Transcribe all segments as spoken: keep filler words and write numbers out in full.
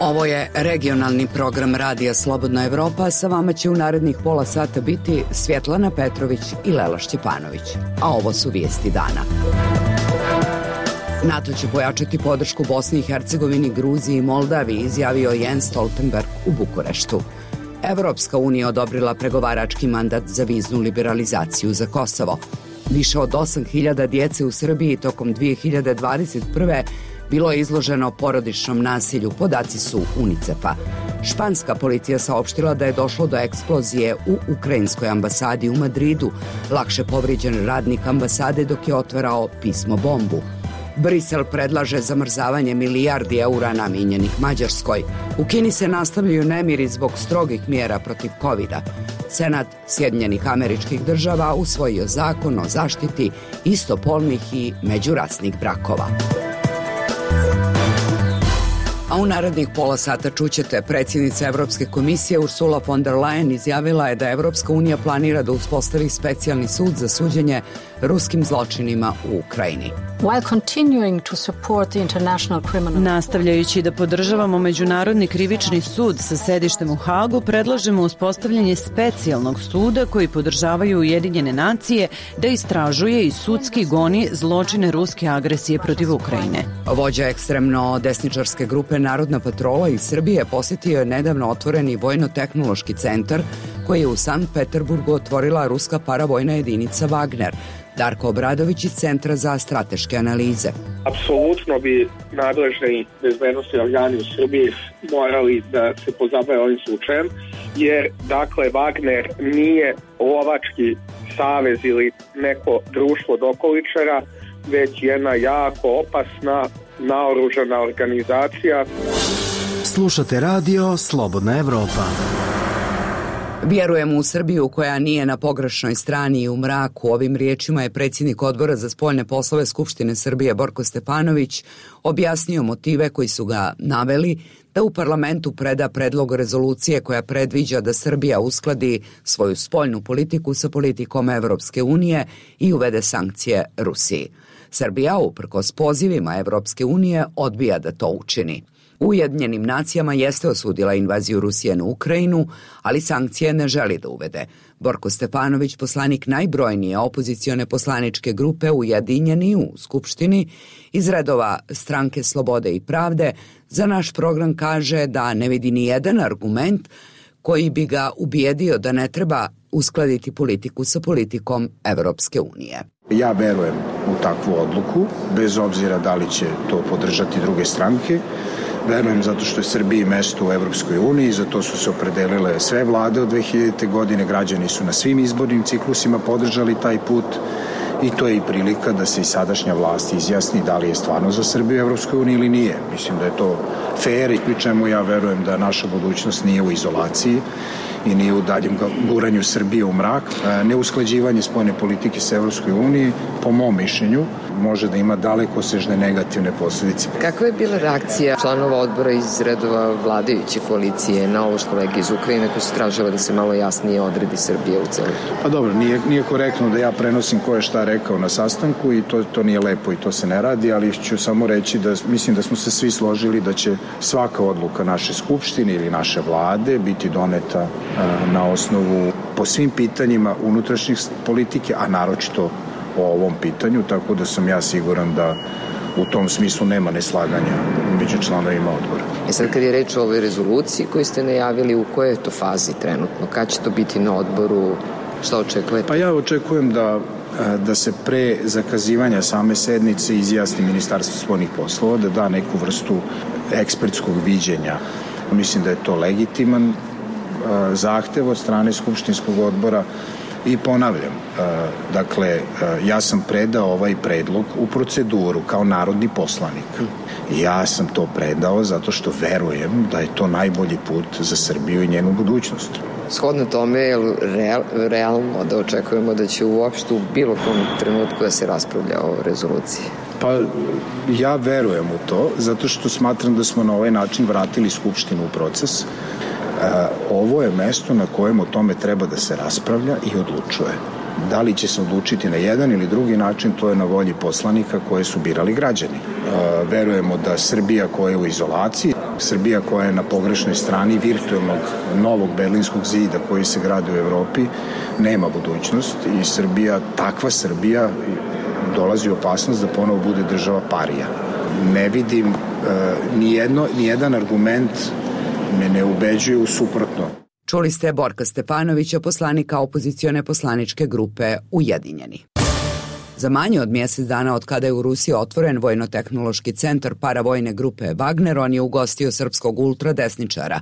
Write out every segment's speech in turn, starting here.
Ovo je regionalni program Radija Slobodna Evropa. Sa vama će u narednih pola sata biti Svjetlana Petrović i Lela Šćepanović. A ovo su vijesti dana. NATO će pojačati podršku Bosni i Hercegovini, Gruziji i Moldaviji, izjavio Jens Stoltenberg u Bukureštu. Evropska unija odobrila pregovarački mandat za viznu liberalizaciju za Kosovo. Više od osam hiljada djece u Srbiji tokom dvije hiljade dvadeset prve bilo je izloženo porodičnom nasilju, podaci su UNICEF-a. Španska policija saopštila da je došlo do eksplozije u ukrajinskoj ambasadi u Madridu. Lakše povrijeđen radnik ambasade dok je otvarao pismo bombu. Brisel predlaže zamrzavanje milijardi eura namijenjenih Mađarskoj. U Kini se nastavljaju nemiri zbog strogih mjera protiv kovida. Senat Sjedinjenih Američkih Država usvojio zakon o zaštiti istopolnih i međurasnih brakova. A u narednih pola sata čućete, predsjednica Evropske komisije Ursula von der Leyen izjavila je da Evropska unija planira da uspostavi specijalni sud za suđenje ruskim zločinima u Ukrajini. Nastavljajući da podržavamo Međunarodni krivični sud sa sedištem u Hagu, predlažemo uspostavljanje specijalnog suda koji podržavaju Ujedinjene nacije da istražuje i sudski goni zločine ruske agresije protiv Ukrajine. Vođa ekstremno desničarske grupe Narodna patrola iz Srbije posjetio je nedavno otvoreni vojno-tehnološki centar koji je u Sankt Peterburgu otvorila ruska paravojna jedinica Wagner. Darko Obradović iz Centra za strateške analize. Apsolutno bi nadležni bezbednosni organi u Srbiji morali da se pozabave ovim slučajem, jer dakle Wagner nije lovački savez ili neko društvo dokoličara, već jedna jako opasna naoružana organizacija. Slušate radio Slobodna Evropa. Vjerujemo u Srbiju koja nije na pogrešnoj strani i u mraku. Ovim riječima je predsjednik Odbora za spoljne poslove Skupštine Srbije Borko Stefanović objasnio motive koji su ga naveli da u parlamentu preda predlog rezolucije koja predviđa da Srbija uskladi svoju spoljnu politiku sa politikom Evropske unije i uvede sankcije Rusiji. Srbija, uprkos pozivima Evropske unije, odbija da to učini. U Ujedinjenim nacijama jeste osudila invaziju Rusije na Ukrajinu, ali sankcije ne želi da uvede. Borko Stefanović, poslanik najbrojnije opozicione poslaničke grupe Ujedinjeni u Skupštini, iz redova Stranke Slobode i Pravde, za naš program kaže da ne vidi ni jedan argument koji bi ga ubijedio da ne treba uskladiti politiku sa politikom Evropske unije. Ja verujem u takvu odluku, bez obzira da li će to podržati druge stranke. Verujem zato što je Srbiji mesto u Evropskoj uniji, zato su se opredelile sve vlade od dve hiljadite. godine, građani su na svim izbornim ciklusima podržali taj put i to je i prilika da se i sadašnja vlast izjasni da li je stvarno za Srbiju u Evropskoj uniji ili nije. Mislim da je to fair i pri čemu ja verujem da naša budućnost nije u izolaciji i nije u daljem guranju Srbije u mrak. Neusklađivanje spoljne politike sa Evropskoj uniji, po mom mišljenju, može da ima dalekosežne negativne posljedice. Kakva je bila reakcija članova odbora iz redova vladajuće koalicije na ovo što kolege iz Ukrajine koji su tražili da se malo jasnije odredi Srbije u celu? Pa dobro, nije, nije korektno da ja prenosim ko je šta rekao na sastanku i to, to nije lepo i to se ne radi, ali ću samo reći da mislim da smo se svi složili da će svaka odluka naše skupštine ili naše vlade biti doneta na osnovu po svim pitanjima unutrašnjih politike, a naročito o ovom pitanju, tako da sam ja siguran da u tom smislu nema neslaganja među članovima odbora. E sad kad je reč o ovoj rezoluciji koju ste najavili, u kojoj je to fazi trenutno? Kad će to biti na odboru? Šta očekujete? Pa ja očekujem da, da se pre zakazivanja same sednice izjasni Ministarstvo spoljnih poslova, da da neku vrstu ekspertskog viđenja. Mislim da je to legitiman zahtev od strane Skupštinskog odbora i ponavljam, dakle, ja sam predao ovaj predlog u proceduru kao narodni poslanik. Ja sam to predao zato što verujem da je to najbolji put za Srbiju i njenu budućnost. Shodno tome je real, realno da očekujemo da će uopšte u bilo kom trenutku da se raspravlja o rezoluciji? Pa ja verujem u to zato što smatram da smo na ovaj način vratili Skupštinu u proces. Ovo je mesto na kojem o tome treba da se raspravlja i odlučuje. Da li će se odlučiti na jedan ili drugi način, to je na volji poslanika koje su birali građani. Verujemo da Srbija koja je u izolaciji, Srbija koja je na pogrešnoj strani virtualnog novog berlinskog zida koji se gradi u Evropi, nema budućnost i Srbija, takva Srbija, dolazi u opasnost da ponovo bude država parija. Ne vidim nijedno, nijedan argument me ne ubeđuje u suprotno. Čuli ste Borka Stefanovića, poslanika opozicione poslaničke grupe Ujedinjeni. Za manje od mjesec dana od kada je u Rusiji otvoren vojno-tehnološki centar paravojne grupe Wagner, on je ugostio srpskog ultradesničara.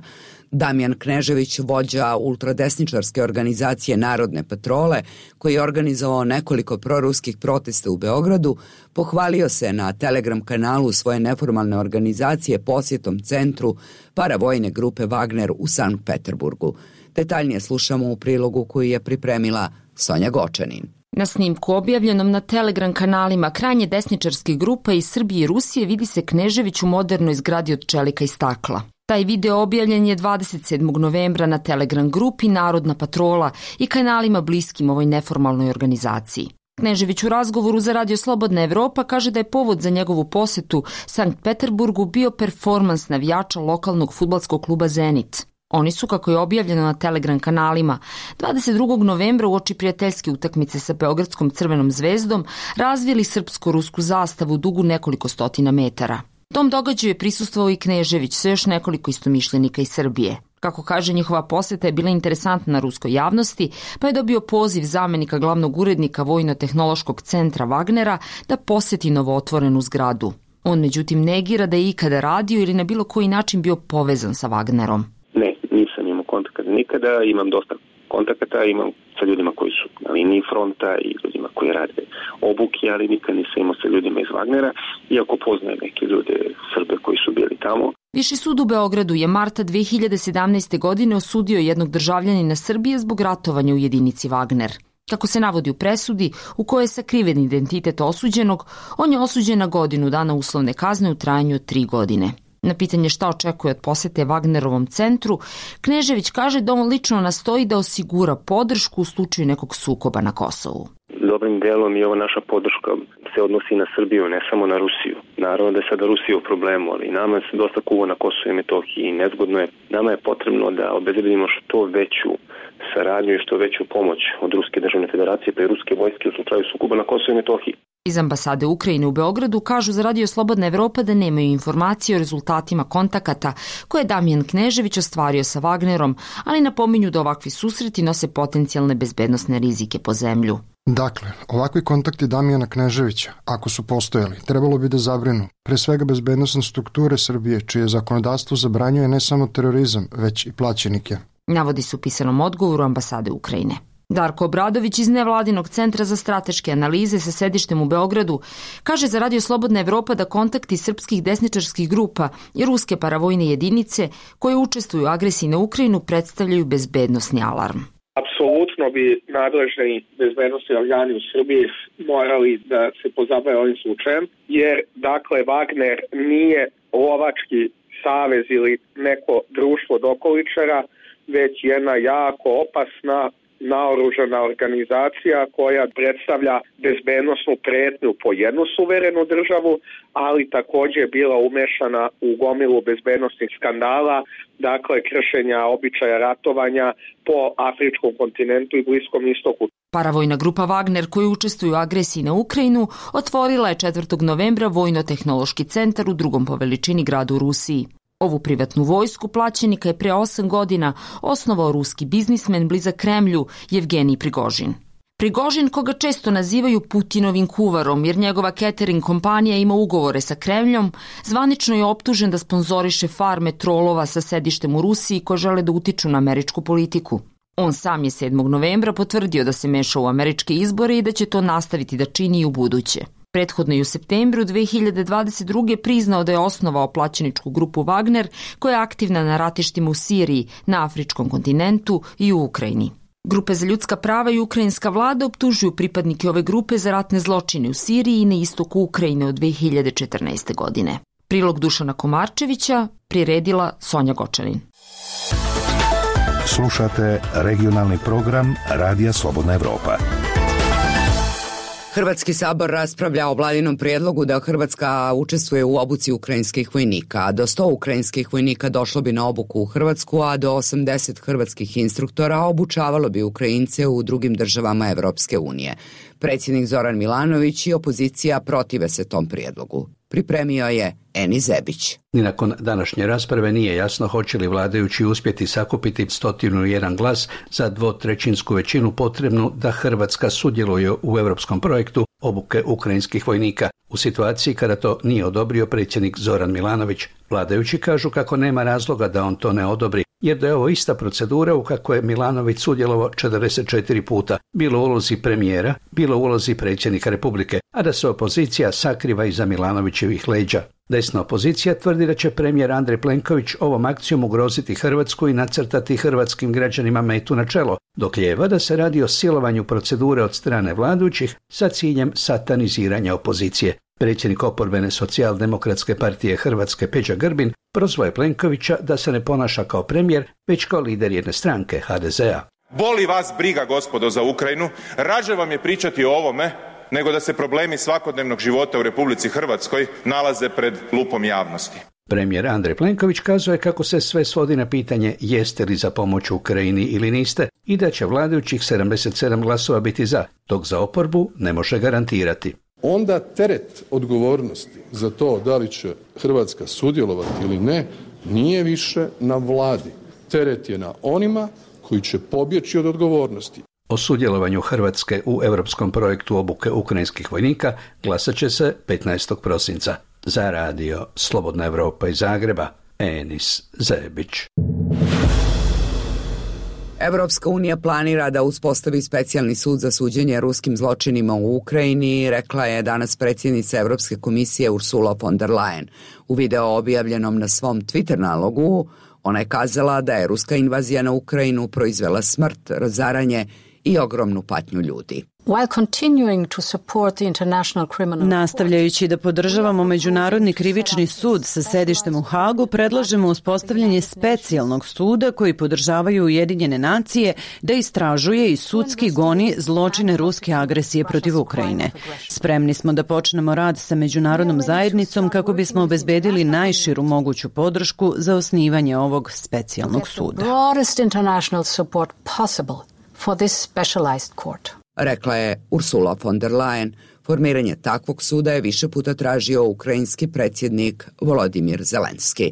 Damjan Knežević, vođa ultradesničarske organizacije Narodne patrole, koji je organizovao nekoliko proruskih protesta u Beogradu, pohvalio se na Telegram kanalu svoje neformalne organizacije posjetom centru paravojne grupe Wagner u Sankt Peterburgu. Detaljnije slušamo u prilogu koji je pripremila Sonja Gočanin. Na snimku objavljenom na Telegram kanalima krajnje desničarskih grupa iz Srbije i Rusije vidi se Knežević u modernoj zgradi od čelika i stakla. Taj video objavljen je dvadeset sedmog novembra na Telegram grupi Narodna patrola i kanalima bliskim ovoj neformalnoj organizaciji. Knežević u razgovoru za Radio Slobodna Evropa kaže da je povod za njegovu posetu Sankt Peterburgu bio performans navijača lokalnog fudbalskog kluba Zenit. Oni su, kako je objavljeno na Telegram kanalima, dvadeset drugog novembra uoči prijateljske utakmice sa Beogradskom Crvenom zvezdom razvili srpsko-rusku zastavu dugu nekoliko stotina metara. Tom događaju je prisustvovao i Knežević sa još nekoliko istomišljenika iz Srbije. Kako kaže, njihova poseta je bila interesantna na ruskoj javnosti, pa je dobio poziv zamenika glavnog urednika Vojno-tehnološkog centra Wagnera da poseti novootvorenu zgradu. On međutim negira da je ikada radio ili na bilo koji način bio povezan sa Wagnerom. Ne, nisam imao kontakta nikada, imam dosta kontakata, imam sa ljudima koji su na liniji fronta i ljudima koji rade obuke, ali nikad nisam imao sa ljudima iz Wagnera, iako poznajem neke ljude Srbe koji su bili tamo. Viši sud u Beogradu je marta dve hiljade sedamnaeste. godine osudio jednog državljanina Srbije zbog ratovanja u jedinici Wagner. Kako se navodi u presudi, u kojoj je sakriven identitet osuđenog, on je osuđen na godinu dana uslovne kazne u trajanju od tri godine. Na pitanje šta očekuje od posete Wagnerovom centru, Knežević kaže da on lično nastoji da osigura podršku u slučaju nekog sukoba na Kosovu. Dobrim delom i ova naša podrška se odnosi na Srbiju, ne samo na Rusiju. Naravno da je sada Rusija u problemu, ali nama se dosta kuva na Kosovu i Metohiji i nezgodno je. Nama je potrebno da obezbedimo što veću saradnju i što veću pomoć od Ruske državne federacije pa i ruske vojske u slučaju sukoba na Kosovu i Metohiji. Iz ambasade Ukrajine u Beogradu kažu za Radio Slobodna Evropa da nemaju informacije o rezultatima kontakata koje je Damjan Knežević ostvario sa Wagnerom, ali napominju da ovakvi susreti nose potencijalne bezbednosne rizike po zemlju. Dakle, ovakvi kontakti Damjana Kneževića, ako su postojali, trebalo bi da zabrinu pre svega bezbednosne strukture Srbije, čije zakonodavstvo zabranjuje ne samo terorizam, već i plaćenike. Navodi se u pisanom odgovoru ambasade Ukrajine. Darko Obradović iz Nevladinog centra za strateške analize sa sedištem u Beogradu kaže za Radio Slobodna Evropa da kontakti srpskih desničarskih grupa i ruske paravojne jedinice koje učestvuju u agresiji na Ukrajinu predstavljaju bezbednosni alarm. Apsolutno bi nadležni bezbednosni organi u Srbiji morali da se pozabave ovim slučajem, jer dakle Wagner nije lovački savez ili neko društvo dokoličara, već jedna jako opasna naoružana organizacija koja predstavlja bezbednosnu pretnju po jednu suverenu državu, ali također je bila umešana u gomilu bezbednosnih skandala, dakle kršenja običaja ratovanja po afričkom kontinentu i Bliskom istoku. Paravojna grupa Wagner koji učestvuje u agresiji na Ukrajinu otvorila je četvrtog novembra Vojno-tehnološki centar u drugom po veličini gradu u Rusiji. Ovu privatnu vojsku plaćenika je pre osam godina osnovao ruski biznismen blizak Kremlju Jevgenij Prigožin. Prigožin, koga često nazivaju Putinovim kuvarom jer njegova catering kompanija ima ugovore sa Kremljom, zvanično je optužen da sponzoriše farme trolova sa sedištem u Rusiji koje žele da utiču na američku politiku. On sam je sedmog novembra potvrdio da se meša u američke izbore i da će to nastaviti da čini i u buduće. Prethodno je u septembru dve hiljade dvadeset druge priznao da je osnovao plaćeničku grupu Wagner koja je aktivna na ratištima u Siriji, na afričkom kontinentu i u Ukrajini. Grupe za ljudska prava i ukrajinska vlada optužuju pripadnike ove grupe za ratne zločine u Siriji i na istoku Ukrajine od dve hiljade četrnaeste. godine. Prilog Dušana Komarčevića priredila Sonja Gočanin. Slušate regionalni program Radija Slobodna Evropa. Hrvatski sabor raspravlja o vladinom prijedlogu da Hrvatska učestvuje u obuci ukrajinskih vojnika. Do sto ukrajinskih vojnika došlo bi na obuku u Hrvatsku, a do osamdeset hrvatskih instruktora obučavalo bi Ukrajince u drugim državama Evropske unije. Predsjednik Zoran Milanović i opozicija protive se tom prijedlogu. Pripremio je Eni Zebić. Ni nakon današnje rasprave nije jasno hoće li vladajući uspjeti sakupiti stotinu jedan glas za dvotrećinsku većinu potrebnu da Hrvatska sudjeluje u europskom projektu obuke ukrajinskih vojnika. U situaciji kada to nije odobrio predsjednik Zoran Milanović, vladajući kažu kako nema razloga da on to ne odobri, jer da je ovo ista procedura u kako je Milanović sudjelovao četrdeset četiri puta, bilo u ulozi premijera, bilo u ulozi predsjednika Republike, a da se opozicija sakriva iza Milanovićevih leđa. Desna opozicija tvrdi da će premijer Andrej Plenković ovom akcijom ugroziti Hrvatsku i nacrtati hrvatskim građanima metu na čelo, dok lijeva da se radi o silovanju procedure od strane vladajućih sa ciljem sataniziranja opozicije. Predsjednik oporbene socijaldemokratske partije Hrvatske Peđa Grbin prozvao je Plenkovića da se ne ponaša kao premijer, već kao lider jedne stranke, ha de zea. Boli vas briga, gospodo, za Ukrajinu, rađe vam je pričati o ovome nego da se problemi svakodnevnog života u Republici Hrvatskoj nalaze pred lupom javnosti. Premijer Andrej Plenković kazuje kako se sve svodi na pitanje jeste li za pomoć Ukrajini ili niste i da će vladajućih sedamdeset sedam glasova biti za, dok za oporbu ne može garantirati. Onda teret odgovornosti za to da li će Hrvatska sudjelovati ili ne nije više na vladi. Teret je na onima koji će pobjeći od odgovornosti. O sudjelovanju Hrvatske u europskom projektu obuke ukrajinskih vojnika glasat će se petnaestog prosinca. Za radio Slobodna Evropa iz Zagreba, Enis Zebić. Evropska unija planira da uspostavi specijalni sud za suđenje ruskim zločinima u Ukrajini, rekla je danas predsjednica Evropske komisije Ursula von der Leyen. U video objavljenom na svom Twitter nalogu, ona je kazala da je ruska invazija na Ukrajinu proizvela smrt, razaranje i ogromnu patnju ljudi. Nastavljajući da podržavamo Međunarodni krivični sud sa sedištem u Hagu, predlažemo uspostavljanje specijalnog suda koji podržavaju Ujedinjene nacije da istražuje i sudski goni zločine ruske agresije protiv Ukrajine. Spremni smo da počnemo rad sa međunarodnom zajednicom kako bismo obezbedili najširu moguću podršku za osnivanje ovog specijalnog suda. For this specialized court. Rekla je Ursula von der Leyen. Formiranje takvog suda je više puta tražio ukrajinski predsjednik Volodimir Zelenski.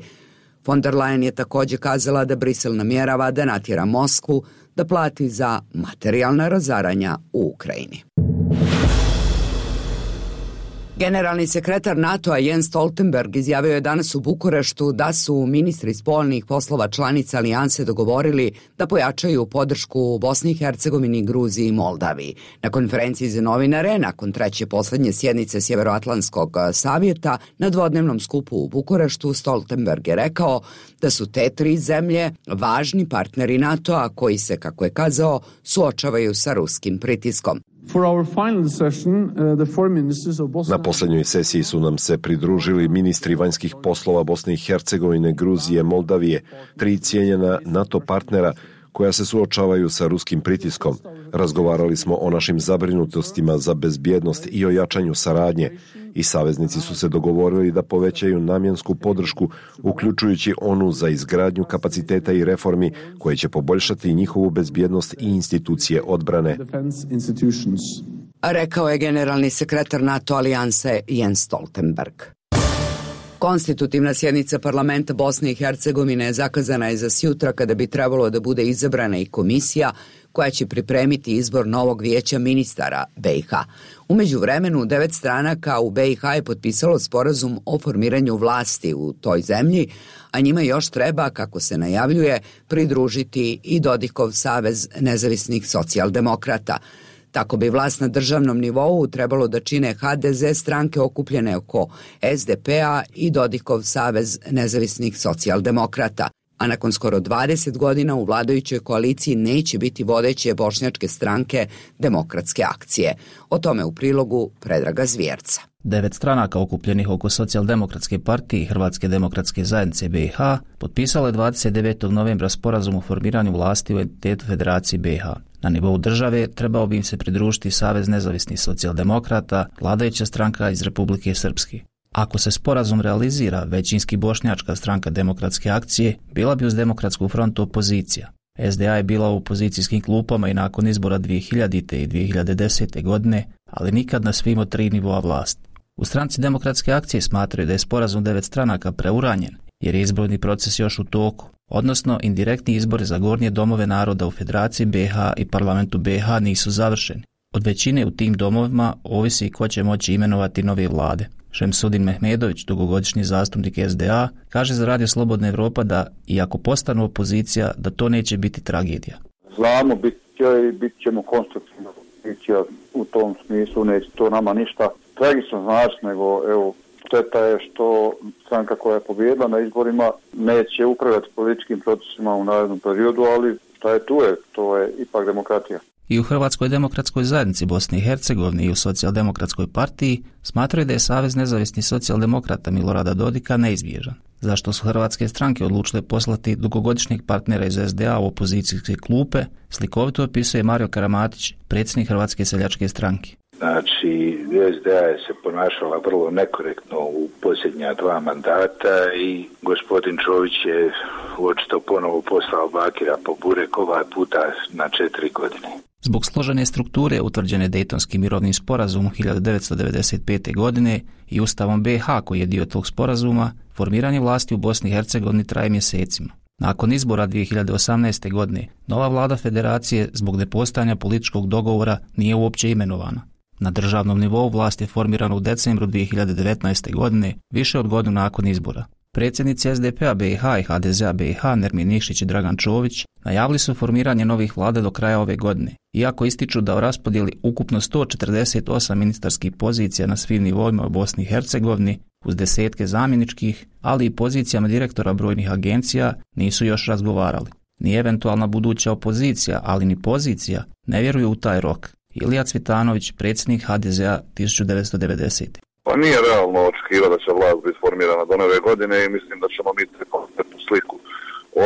Von der Leyen je također kazala da Brisel namjerava da natjera Moskvu da plati za materijalna razaranja u Ukrajini. Generalni sekretar NATO-a Jens Stoltenberg izjavio je danas u Bukureštu da su ministri spoljnih poslova članica alijanse dogovorili da pojačaju podršku Bosni i Hercegovini, Gruziji i Moldaviji. Na konferenciji za novinare, nakon treće poslednje sjednice Sjeveroatlantskog savjeta, na dvodnevnom skupu u Bukureštu, Stoltenberg je rekao da su te tri zemlje važni partneri NATO-a koji se, kako je kazao, suočavaju sa ruskim pritiskom. Na posljednjoj sesiji su nam se pridružili ministri vanjskih poslova Bosne i Hercegovine, Gruzije, Moldavije, tri cijenjena NATO partnera koja se suočavaju sa ruskim pritiskom. Razgovarali smo o našim zabrinutostima za bezbjednost i o jačanju saradnje i saveznici su se dogovorili da povećaju namjensku podršku, uključujući onu za izgradnju kapaciteta i reformi koje će poboljšati njihovu bezbjednost i institucije odbrane. Rekao je generalni sekretar NATO alijanse Jens Stoltenberg. Konstitutivna sjednica parlamenta Bosne i Hercegovine zakazana je za sjutra kada bi trebalo da bude izabrana i komisija koja će pripremiti izbor novog vijeća ministara be i ha. U međuvremenu devet stranaka u be i ha je potpisalo sporazum o formiranju vlasti u toj zemlji, a njima još treba, kako se najavljuje, pridružiti i Dodikov savez nezavisnih socijaldemokrata. Tako bi vlast na državnom nivou trebalo da čine ha de ze stranke okupljene oko es de pe-a i Dodikov savez nezavisnih socijaldemokrata. A nakon skoro dvadeset godina u vladajućoj koaliciji neće biti vodeće bošnjačke stranke Demokratske akcije. O tome u prilogu Predraga Zvjerca. Devet stranaka okupljenih oko Socijaldemokratske partije i Hrvatske demokratske zajednice be i ha potpisalo je dvadeset devetog novembra sporazum o formiranju vlasti u entitetu Federacije be i ha. Na nivou države trebao bi im se pridružiti Savez nezavisnih socijaldemokrata, vladajuća stranka iz Republike Srpske. Ako se sporazum realizira, većinski bošnjačka stranka Demokratske akcije bila bi uz Demokratsku frontu opozicija. S D A je bila u opozicijskim klupama i nakon izbora dvije hiljadite. i dvije hiljade desete. godine, ali nikad na svim od tri nivoa vlasti. U stranci Demokratske akcije smatraju da je sporazum devet stranaka preuranjen, jer je izborni proces još u toku, odnosno indirektni izbori za gornje domove naroda u Federaciji B iH i parlamentu B iH nisu završeni. Od većine u tim domovima ovisi ko će moći imenovati nove vlade. Šemsudin Mehmedović, dugogodišnji zastupnik S D A, kaže za Radio Slobodna Evropa da, iako postanu opozicija, da to neće biti tragedija. Znamo, bit će i bit ćemo konstruktivna opozicija u tom smislu, neće to nama ništa tragično znači, nego evo, šteta je što stranka koja je pobijedila na izborima neće upravljati političkim procesima u narednom periodu, ali šta je tu je, to je ipak demokratija. I u Hrvatskoj demokratskoj zajednici Bosne i Hercegovine i u Socijaldemokratskoj partiji smatraju da je Savez nezavisnih socijaldemokrata Milorada Dodika neizbježan. Zašto su hrvatske stranke odlučile poslati dugogodišnjeg partnera iz S D A u opozicijske klupe, slikovito opisuje Mario Karamatić, predsjednik Hrvatske seljačke stranke. Znači, S D A je se ponašala vrlo nekorektno u posljednja dva mandata i gospodin Čović je očito ponovo poslao Bakira po burek ovaj puta na četiri godine. Zbog složene strukture utvrđene Dejtonskim mirovnim sporazumom hiljadu devetsto devedeset pete. godine i Ustavom B iH koji je dio tog sporazuma, formiranje vlasti u Bosni i Hercegovini traje mjesecima. Nakon izbora dvije hiljade osamnaeste. godine, nova vlada federacije zbog nepostojanja političkog dogovora nije uopće imenovana. Na državnom nivou vlast je formirana u decembru dvije hiljade devetnaeste. godine, više od godinu nakon izbora. Predsjednici S D P-a B iH i H D Z-a B iH Nermin Nikšić i Dragan Čović najavili su formiranje novih vlada do kraja ove godine, iako ističu da u raspodjeli ukupno sto četrdeset osam ministarskih pozicija na svim nivoima u Bosni i Hercegovini, uz desetke zamjeničkih, ali i pozicijama direktora brojnih agencija, nisu još razgovarali. Ni eventualna buduća opozicija, ali ni pozicija, ne vjeruju u taj rok. Ilija Cvitanović, predsjednik H D Z-a hiljadu devetsto devedesete. Pa nije realno očekivati da će vlast biti formirana do nove godine i mislim da ćemo mi kompletnu sliku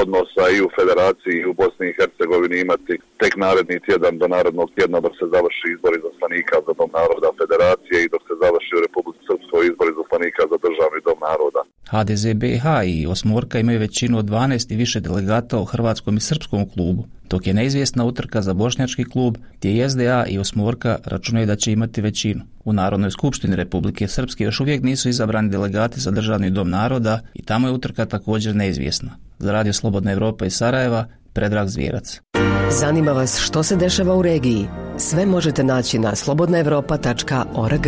odnosa i u Federaciji i u Bosni i Hercegovini imati tek naredni tjedan do narednog tjedna dok se završi izbor izaslanika za Dom naroda Federacije i dok se završi u Republici Srpskoj izbor izaslanika za Državni dom naroda. H D Z B iH i Osmorka imaju većinu od dvanaest i više delegata u hrvatskom i srpskom klubu, dok je neizvjesna utrka za bošnjački klub gdje i S D A i Osmorka računaju da će imati većinu. U Narodnoj skupštini Republike Srpske još uvijek nisu izabrani delegati za Državni dom naroda i tamo je utrka također neizvjesna. Za Radio Slobodna Evropa iz Sarajeva, Predrag Zvijerac. Zanima vas što se dešava u regiji? Sve možete naći na slobodna evropa tačka org.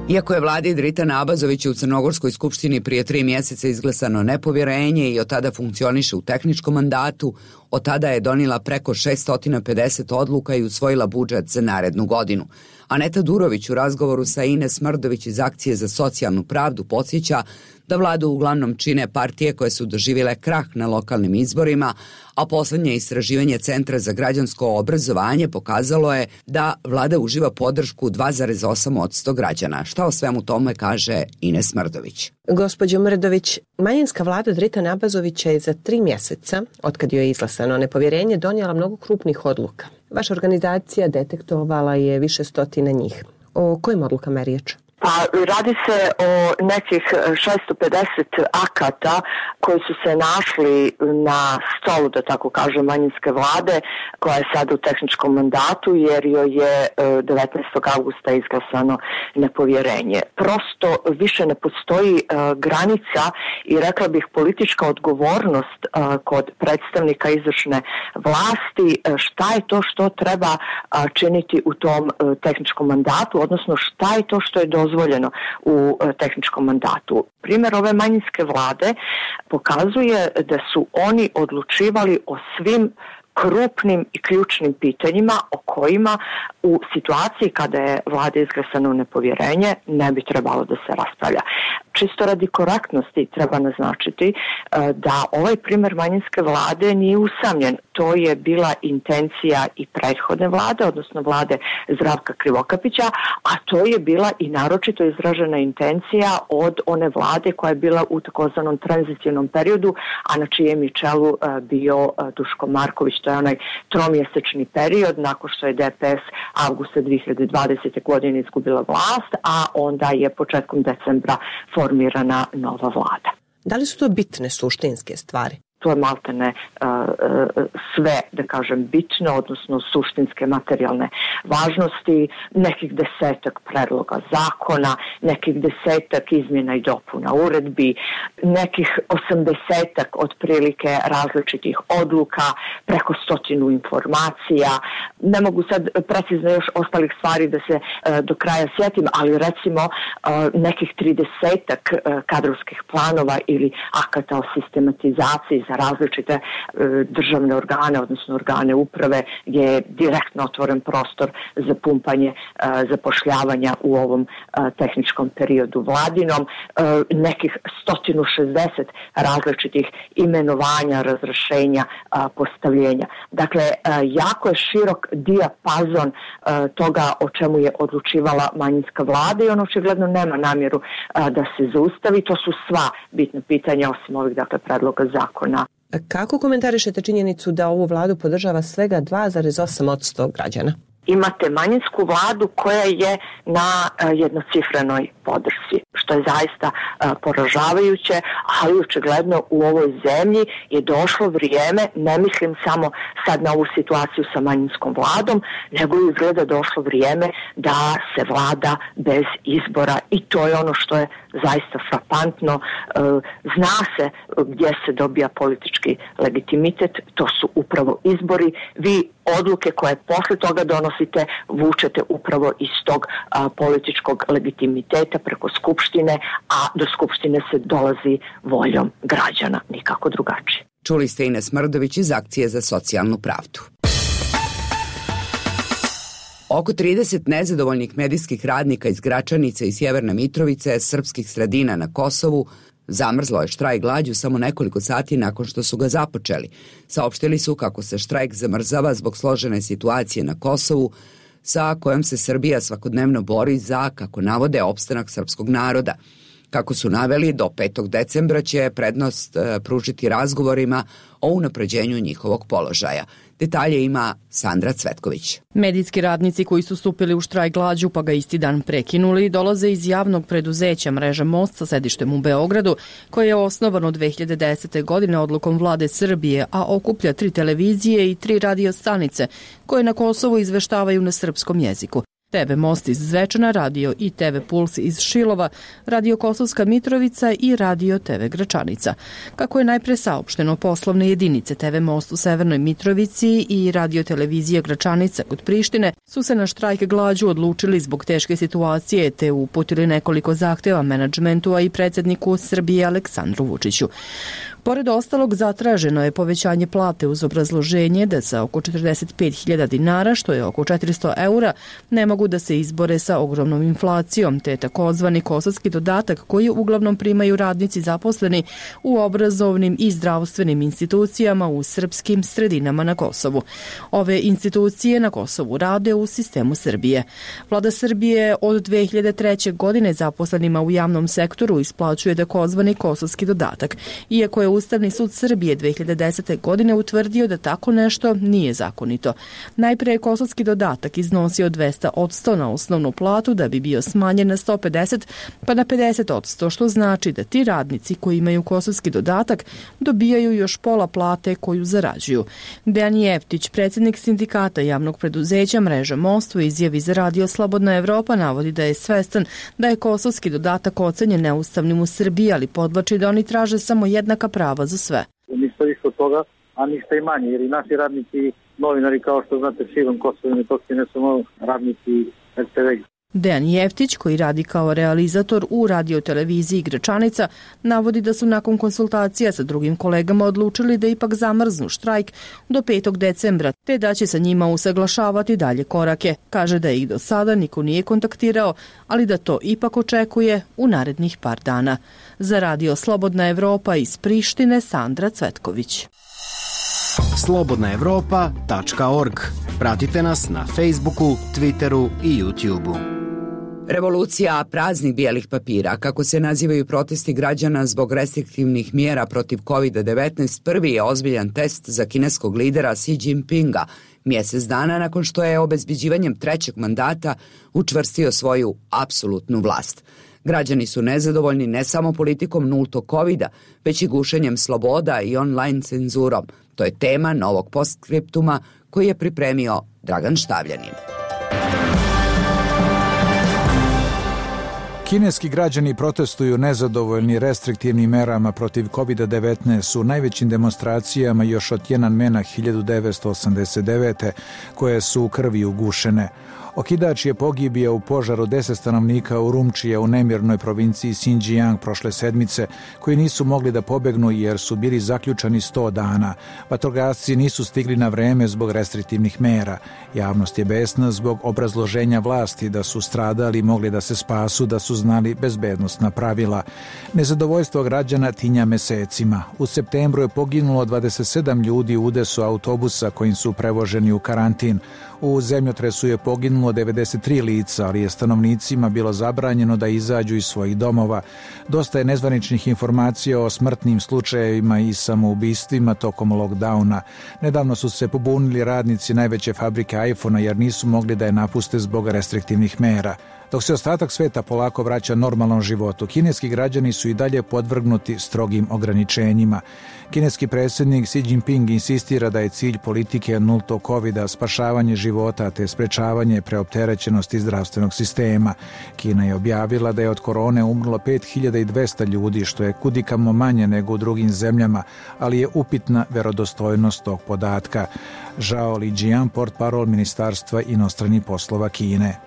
Iako je vladi Dritana Abazovića u Crnogorskoj skupštini prije tri mjeseca izglasano nepovjerenje i od tada funkcioniše u tehničkom mandatu, od tada je donijela preko šesto pedeset odluka i usvojila budžet za narednu godinu. Aneta Durović u razgovoru sa Ines Mrdović iz Akcije za socijalnu pravdu podsjeća da vladu uglavnom čine partije koje su doživjele krah na lokalnim izborima, a posljednje istraživanje Centra za građansko obrazovanje pokazalo je da vlada uživa podršku dva zarez osam posto građana. Šta o svemu tome kaže Ines Mrdović? Gospođo Mrdović, manjinska vlada Dritana Abazovića je za tri mjeseca, otkad joj je izglasano nepovjerenje, donijela mnogo krupnih odluka. Vaša organizacija detektovala je više stotina njih. O kojim odlukama je riječ? Pa radi se o nekih šesto pedeset akata koji su se našli na stolu, da tako kažem, manjinske vlade, koja je sad u tehničkom mandatu, jer joj je devetnaestog augusta izglasano nepovjerenje. Prosto više ne postoji uh, granica i rekla bih politička odgovornost uh, kod predstavnika izvršne vlasti, uh, šta je to što treba uh, činiti u tom uh, tehničkom mandatu, odnosno šta je to što je dozvoljeno dozvoljeno u tehničkom mandatu. Primjer ove manjinske vlade pokazuje da su oni odlučivali o svim krupnim i ključnim pitanjima o kojima u situaciji kada je vlada izglasano nepovjerenje ne bi trebalo da se raspravlja. čisto radi korektnosti treba naznačiti da ovaj primer manjinske vlade nije usamljen. To je bila intencija i prethodne vlade, odnosno vlade Zdravka Krivokapića, a to je bila i naročito izražena intencija od one vlade koja je bila u takozvanom tranzicijnom periodu, a na čijem je čelu bio Duško Marković. To je onaj tromjesečni period nakon što je D P S avgusta dve hiljade dvadesete. godine izgubila vlast, a onda je početkom decembra formirana nova vlada. Da li su to bitne suštinske stvari? To je maltene uh, uh, sve, da kažem, bitno, odnosno suštinske materijalne važnosti, nekih desetak predloga zakona, nekih desetak izmjena i dopuna uredbi, nekih osamdesetak otprilike različitih odluka, preko stotinu informacija. Ne mogu sad precizno još ostalih stvari da se uh, do kraja sjetim, ali recimo uh, nekih tridesetak uh, kadrovskih planova ili akata o sistematizaciji za različite e, državne organe, odnosno organe uprave, gdje je direktno otvoren prostor za pumpanje e, zapošljavanja u ovom e, tehničkom periodu vladinom, e, nekih sto šezdeset različitih imenovanja, razrešenja, a, postavljenja. Dakle, e, jako je širok dijapazon e, toga o čemu je odlučivala manjinska vlada i on očigledno nema namjeru a, da se zaustavi. To su sva bitna pitanja osim ovih, dakle, predloga zakona. Kako komentarišete činjenicu da ovu vladu podržava svega dva zarez osam posto građana? Imate manjinsku vladu koja je na uh, jednocifrenoj podršci, što je zaista uh, poražavajuće, ali očigledno u ovoj zemlji je došlo vrijeme, ne mislim samo sad na ovu situaciju sa manjinskom vladom, nego je izgleda došlo vrijeme da se vlada bez izbora i to je ono što je zaista frapantno. Uh, zna se gdje se dobija politički legitimitet, to su upravo izbori. Vi odluke koje posle toga donosite vučete upravo iz tog a, političkog legitimiteta preko Skupštine, a do Skupštine se dolazi voljom građana, nikako drugačije. Čuli ste Ines Mrdović iz Akcije za socijalnu pravdu. Oko trideset nezadovoljnih medijskih radnika iz Gračanice i Sjeverne Mitrovice, srpskih sredina na Kosovu, zamrzlo je štrajk glađu samo nekoliko sati nakon što su ga započeli. Saopštili su kako se štrajk zamrzava zbog složene situacije na Kosovu, sa kojom se Srbija svakodnevno bori za, kako navode, opstanak srpskog naroda. Kako su naveli, do petog decembra će prednost e, pružiti razgovorima o unapređenju njihovog položaja. Detalje ima Sandra Cvetković. Medijski radnici koji su stupili u štrajk glađu pa ga isti dan prekinuli dolaze iz javnog preduzeća Mreža Most sa sedištem u Beogradu, koje je osnovano dve hiljade desete. godine odlukom vlade Srbije, a okuplja tri televizije i tri radio stanice koje na Kosovu izveštavaju na srpskom jeziku. T V Most iz Zvečana, radio i T V Puls iz Šilova, radio Kosovska Mitrovica i radio T V Gračanica. Kako je najpre saopšteno, poslovne jedinice T V Most u Severnoj Mitrovici i radio televizija Gračanica kod Prištine su se na štrajk glađu odlučili zbog teške situacije te uputili nekoliko zahteva menadžmentu, a i predsjedniku Srbije Aleksandru Vučiću. Pored ostalog, zatraženo je povećanje plate uz obrazloženje da sa oko četrdeset pet hiljada dinara, što je oko četiristo eura, ne mogu da se izbore sa ogromnom inflacijom, te takozvani kosovski dodatak koji uglavnom primaju radnici zaposleni u obrazovnim i zdravstvenim institucijama u srpskim sredinama na Kosovu. Ove institucije na Kosovu rade u sistemu Srbije. Vlada Srbije od dve hiljade treće. godine zaposlenima u javnom sektoru isplaćuje takozvani kosovski dodatak, iako je Ustavni sud Srbije dve hiljade desete. godine utvrdio da tako nešto nije zakonito. Najpre je kosovski dodatak iznosio dvesta odsto na osnovnu platu da bi bio smanjen na sto pedeset pa na pedeset odsto, što znači da ti radnici koji imaju kosovski dodatak dobijaju još pola plate koju zarađuju. Dejan Jeftić, predsjednik sindikata javnog preduzeća Mreža Most, u izjavi za radio Slobodna Evropa navodi da je svestan da je kosovski dodatak ocenjen neustavnim u Srbiji, ali podvlači da oni traže samo jednaka prava za sve. Ništa više od toga, a ništa i manje, jer i naši radnici, novinari, kao što znate, širom Kosova i Metohije, ne samo radnici R T V Dejan Jeftić, koji radi kao realizator u radioteleviziji Gračanica, navodi da su nakon konsultacija sa drugim kolegama odlučili da ipak zamrznu štrajk do petog decembra, te da će sa njima usaglašavati dalje korake. Kaže da ih do sada niko nije kontaktirao, ali da to ipak očekuje u narednih par dana. Za Radio Slobodna Evropa iz Prištine, Sandra Cvetković. slobodna evropa tačka org. Pratite nas na Facebooku, Twitteru i YouTubeu. Revolucija praznih bijelih papira, kako se nazivaju protesti građana zbog restriktivnih mjera protiv kovid devetnaest, prvi je ozbiljan test za kineskog lidera Xi Jinpinga, mjesec dana nakon što je obezbeđivanjem trećeg mandata učvrstio svoju apsolutnu vlast. Građani su nezadovoljni ne samo politikom nultog kovida, već i gušenjem sloboda i online cenzurom. To je tema novog postskriptuma koji je pripremio Dragan Štavljanin. Kineski građani protestuju nezadovoljni restriktivnim merama protiv kovid devetnaest u najvećim demonstracijama još od Tiananmena hiljadu devetsto osamdeset devete koje su u krvi ugušene. Okidač je pogibio u požaru deset stanovnika u Urumčija u nemirnoj provinciji Xinjiang prošle sedmice, koji nisu mogli da pobegnu jer su bili zaključani sto dana. Vatrogasci nisu stigli na vreme zbog restriktivnih mera. Javnost je besna zbog obrazloženja vlasti da su stradali i mogli da se spasu da su znali bezbednostna pravila. Nezadovoljstvo građana tinja mesecima. U septembru je poginulo dvadeset sedam ljudi u udesu autobusa kojim su prevoženi u karantin. U zemljotresu je poginulo devedeset tri lica, ali je stanovnicima bilo zabranjeno da izađu iz svojih domova. Dosta je nezvaničnih informacija o smrtnim slučajevima i samoubistvima tokom lockdowna. Nedavno su se pobunili radnici najveće fabrike iPhona jer nisu mogli da je napuste zbog restriktivnih mera. Dok se ostatak sveta polako vraća normalnom životu, kineski građani su i dalje podvrgnuti strogim ograničenjima. Kineski predsjednik Xi Jinping insistira da je cilj politike nultog kovida spašavanje života te sprečavanje preopterećenosti zdravstvenog sistema. Kina je objavila da je od korone umrlo pet hiljada dvesta ljudi, što je kudikamo manje nego u drugim zemljama, ali je upitna verodostojnost tog podatka. Zhao Lijian, portparol Ministarstva inostranih poslova Kine.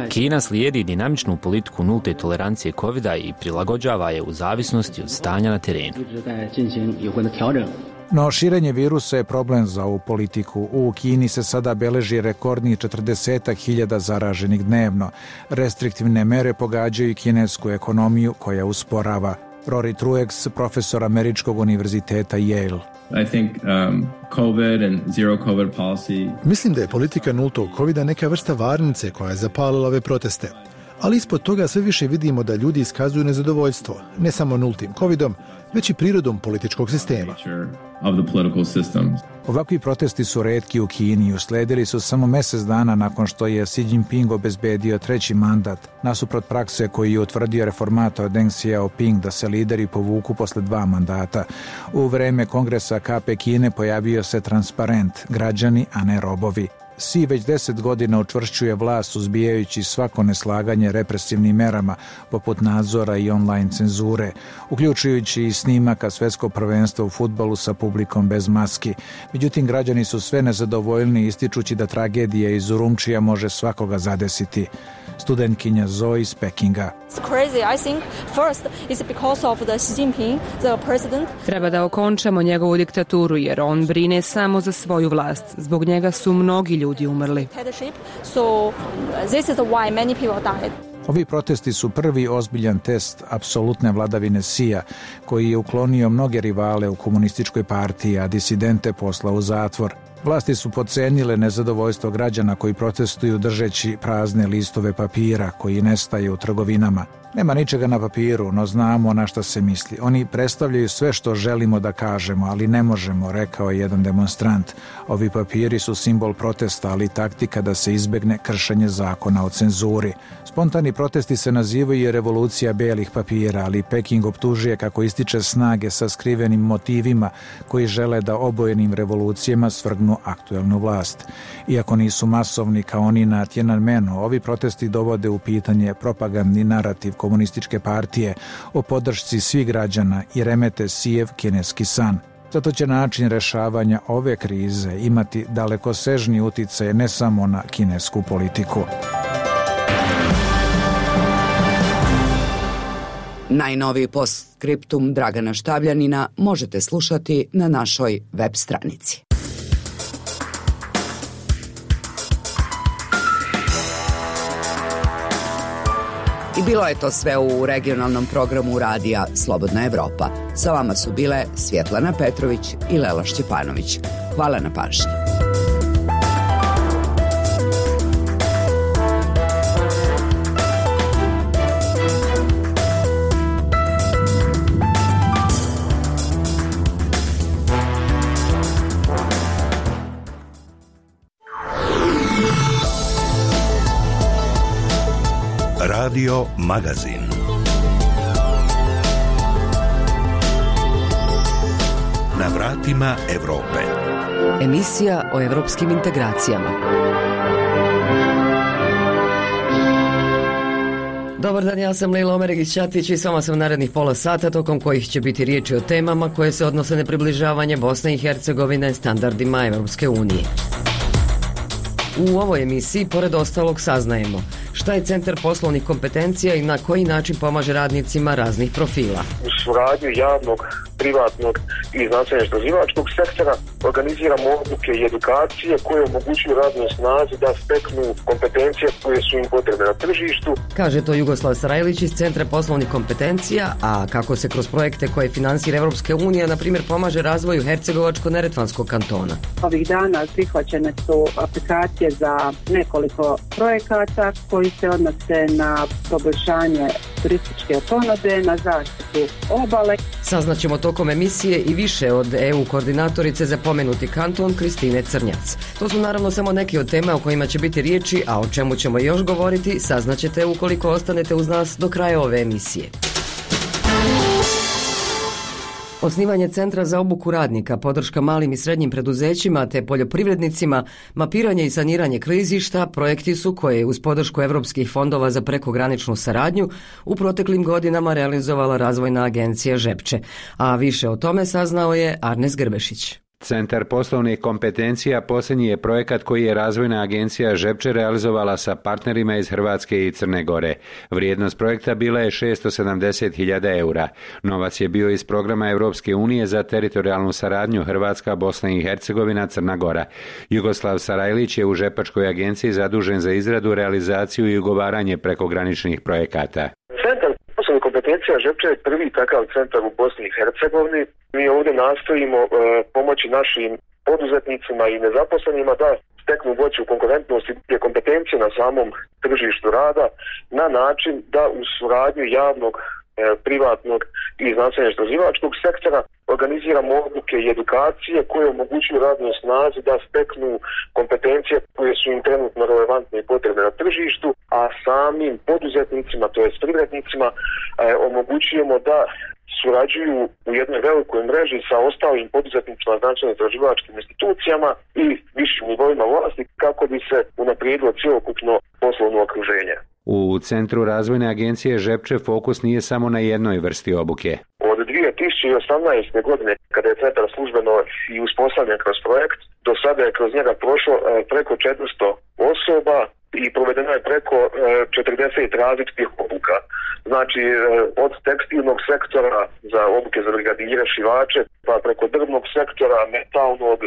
Kina slijedi dinamičnu politiku nulte tolerancije kovida i prilagođava je u zavisnosti od stanja na terenu. No širenje virusa je problem za ovu politiku. U Kini se sada beleži rekordnih četrdeset hiljada zaraženih dnevno. Restriktivne mere pogađaju kinesku ekonomiju koja usporava. Rory Truex, profesor Američkog univerziteta Yale. I think um, COVID and zero COVID policy. Mislim da je politika nultog kovida neka vrsta varnice koja je zapalila ove proteste. Ali ispod toga sve više vidimo da ljudi iskazuju nezadovoljstvo, ne samo nultim covidom, već i prirodom političkog sistema. Ovakvi protesti su retki u Kini i usledili su samo mjesec dana nakon što je Xi Jinping obezbedio treći mandat, nasuprot prakse koji je utvrdio reformator Deng Xiaoping da se lideri povuku posle dva mandata. U vreme kongresa K P Kine pojavio se transparent, građani, a ne robovi. Xi već deset godina učvršćuje vlast uzbijajući svako neslaganje represivnim merama poput nadzora i online cenzure, uključujući i snimaka svjetskog prvenstva u fudbalu sa publikom bez maski. Međutim, građani su sve nezadovoljni ističući da tragedija iz Urumčija može svakoga zadesiti. Studentkinja Zoe iz Pekinga. Treba da okončamo njegovu diktaturu jer on brine samo za svoju vlast. Zbog njega su mnogi ljudi umrli. Ovi protesti su prvi ozbiljan test apsolutne vladavine Xija, koji je uklonio mnoge rivale u komunističkoj partiji, a disidente poslao u zatvor. Vlasti su podcenile nezadovoljstvo građana koji protestuju držeći prazne listove papira koji nestaje u trgovinama. Nema ničega na papiru, no znamo na šta se misli. Oni predstavljaju sve što želimo da kažemo, ali ne možemo, rekao je jedan demonstrant. Ovi papiri su simbol protesta, ali taktika da se izbegne kršenje zakona o cenzuri. Spontani protesti se nazivaju revolucija belih papira, ali Peking optužuje kako ističe snage sa skrivenim motivima koji žele da obojenim revolucijama svrgnu aktuelnu vlast. Iako nisu masovni kao oni na Tiananmenu, ovi protesti dovode u pitanje propagandni narativ komunističke partije o podršci svih građana i remete Xijev kineski san. Zato će način rešavanja ove krize imati dalekosežni uticaj ne samo na kinesku politiku. Najnoviji postskriptum Dragana Štavljanina možete slušati na našoj web stranici. I bilo je to sve u regionalnom programu radija Slobodna Evropa. Sa vama su bile Svjetlana Petrović i Lela Šćepanović. Hvala na pažnji. Radio Magazin. Na vratima Evrope. Emisija o evropskim integracijama. Dobar dan, ja sam Lejla Omeregić-Ćatić i s vama sam narednih pola sata, tokom kojih će biti riječi o temama koje se odnose na približavanje Bosne i Hercegovine standardima Evropske unije. U ovoj emisiji, pored ostalog, saznajemo šta je Centar poslovnih kompetencija i na koji način pomaže radnicima raznih profila. U suradnju javnog, privatnog i znanstveno-istraživačkog sektora organiziramo obuke i edukacije koje omogućuju radnoj snazi da steknu kompetencije koje su im potrebne na tržištu. Kaže to Jugoslav Sarajlić iz Centra poslovnih kompetencija, a kako se kroz projekte koje finansira Evropska unija, na primjer, pomaže razvoju Hercegovačko-Neretvanskog kantona. Ovih dana prihvaćene su aplikacije za nekoliko projekata koji se odnose na poboljšanje turističke ponude, na zaštitu obale. Saznaćemo tokom emisije i više od E U koordinatorice za pomenuti kanton Kristine Crnjac. To su naravno samo neke od tema o kojima će biti riječi, a o čemu ćemo još govoriti saznaćete ukoliko ostanete uz nas do kraja ove emisije. Osnivanje Centra za obuku radnika, podrška malim i srednjim preduzećima te poljoprivrednicima, mapiranje i saniranje klizišta, projekti su koje uz podršku Evropskih fondova za prekograničnu saradnju u proteklim godinama realizovala Razvojna agencija Žepče. A više o tome saznao je Arnes Grbešić. Centar poslovnih kompetencija posljednji je projekat koji je Razvojna agencija Žepče realizovala sa partnerima iz Hrvatske i Crne Gore. Vrijednost projekta bila je šesto sedamdeset hiljada eura. Novac je bio iz programa Evropske unije za teritorijalnu saradnju Hrvatska, Bosna i Hercegovina, Crna Gora. Jugoslav Sarajlić je u Žepačkoj agenciji zadužen za izradu, realizaciju i ugovaranje prekograničnih projekata. Centar poslovnih kompetencija Žepče je prvi takav centar u Bosni i Hercegovini. Mi ovdje nastojimo e, pomoći našim poduzetnicima i nezaposlenima da steknu veću konkurentnost i kompetencije na samom tržištu rada na način da u suradnju javnog, e, privatnog i znanstveno-istraživačkog sektora organiziramo obuke i edukacije koje omogućuju radnoj snazi da steknu kompetencije koje su im trenutno relevantne i potrebne na tržištu, a samim poduzetnicima, to jest privrednicima, e, omogućujemo da surađuju u jednoj velikoj mreži sa ostalim poduzetnicima, znanstveno-istraživačkim institucijama i višim nivoima vlasti kako bi se unaprijedilo cjelokupno poslovno okruženje. U Centru Razvojne agencije Žepče fokus nije samo na jednoj vrsti obuke. Od dvije tisuće osamnaeste. godine, kada je centar službeno i uspostavljen kroz projekt, do sada je kroz njega prošlo preko četiristo osoba i provedeno je preko četrdeset različitih obuka. Znači, od tekstilnog sektora za obuke za brigadire, šivače, pa preko drvnog sektora, metalnog,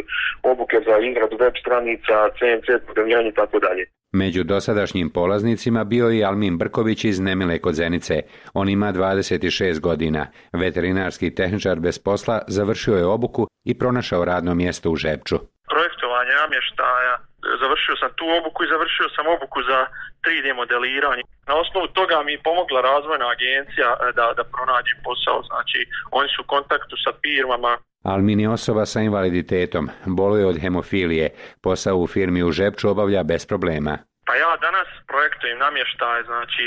obuke za izradu web stranica, C N C programiranje i tako dalje. Među dosadašnjim polaznicima bio je Almin Brković iz Nemile kod Zenice. On ima dvadeset šest godina. Veterinarski tehničar bez posla završio je obuku i pronašao radno mjesto u Žepču. Projektovanje namještaja, završio sam tu obuku i završio sam obuku za tri D modeliranje. Na osnovu toga mi je pomogla Razvojna agencija da, da pronađem posao. Znači, oni su u kontaktu sa firmama. Almin je osoba sa invaliditetom, boluje od hemofilije. Posao u firmi u Žepču obavlja bez problema. Pa ja danas projektujem namještaj, znači,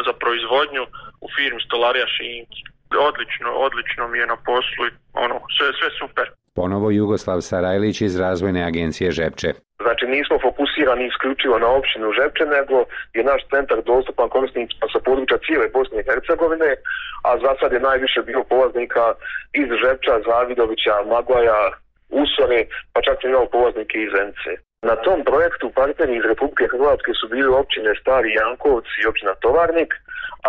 za proizvodnju u firmi Stolarija Šinki. Odlično, odlično mi je na poslu, ono, sve, sve super. Ponovo Jugoslav Sarajlić iz Razvojne agencije Žepče. Znači nismo fokusirani isključivo na općinu Žepče, nego je naš centar dostupan korisnicima sa područja cijele Bosne i Hercegovine, a za sad je najviše bio polaznika iz Žepča, Zavidovića, Maglaja, Usore, pa čak i imao polaznike iz Zenice. Na tom projektu partneri iz Republike Hrvatske su bili općine Stari Jankovci i općina Tovarnik,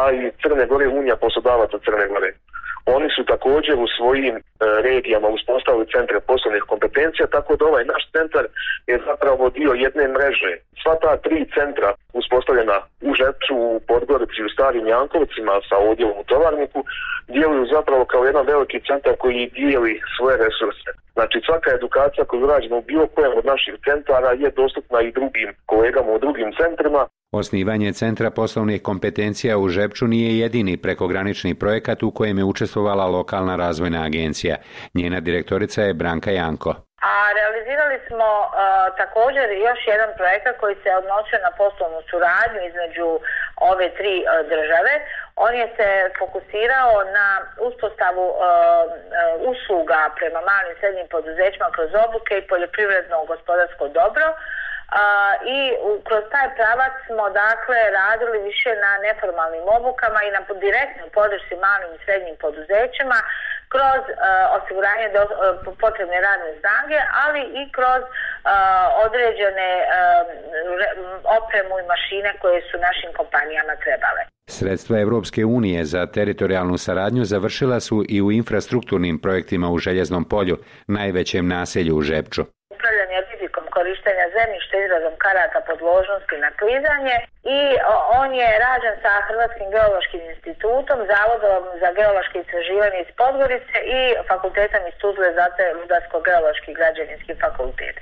a i Crne Gore Unija poslodavaca Crne Gore. Oni su također u svojim e, regijama uspostavili centre poslovnih kompetencija, tako da ovaj naš centar je zapravo dio jedne mreže. Sva ta tri centra uspostavljena u Žepču, u Podgorici i u Starim Jankovcima sa odjelom u Tovarniku djeluju zapravo kao jedan veliki centar koji dijeli svoje resurse. Znači svaka edukacija koju rađemo u bilo kojem od naših centara je dostupna i drugim kolegama u drugim centrima. Osnivanje Centra poslovnih kompetencija u Žepču nije jedini prekogranični projekat u kojem je učestvovala lokalna razvojna agencija. Njena direktorica je Branka Janko. A realizirali smo uh, također još jedan projekat koji se odnosio na poslovnu suradnju između ove tri uh, države. On je se fokusirao na uspostavu uh, uh, usluga prema malim i srednjim poduzećima kroz obuke i poljoprivredno gospodarsko dobro. Uh, i u, kroz taj pravac smo dakle radili više na neformalnim obukama i na direktnoj podršci malim i srednjim poduzećima kroz uh, osiguranje do, uh, potrebne radne snage, ali i kroz uh, određene uh, re, opremu i mašine koje su našim kompanijama trebale. Sredstva Evropske unije za teritorijalnu saradnju završila su i u infrastrukturnim projektima u Željeznom polju, najvećem naselju u Žepču. Upravljanje rizikom korištenja zemljišta izradom karata podložnosti na klizanje i on je rađen sa Hrvatskim geološkim institutom, Zavodom za geološke istraživanje iz Podgorice i Fakultetom iz Tuzle, zato je Rudarsko-geološki građevinski fakultet.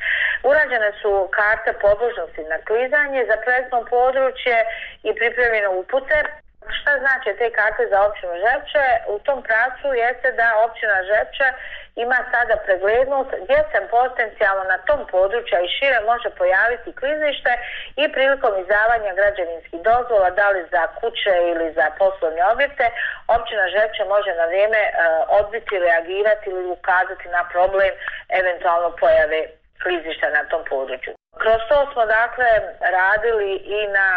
Urađene su karte podložnosti na klizanje za projektno područje i pripremljene upute. Šta znači te karte za općinu Žepče? U tom pravcu jeste da općina Žepče ima sada preglednost gdje se potencijalno na tom području i šire može pojaviti klizište i prilikom izdavanja građevinskih dozvola, da li za kuće ili za poslovne objekte, općina Žepče može na vrijeme uh, odbiti, reagirati ili ukazati na problem eventualno pojave klizišta na tom području. Kroz to smo dakle radili i na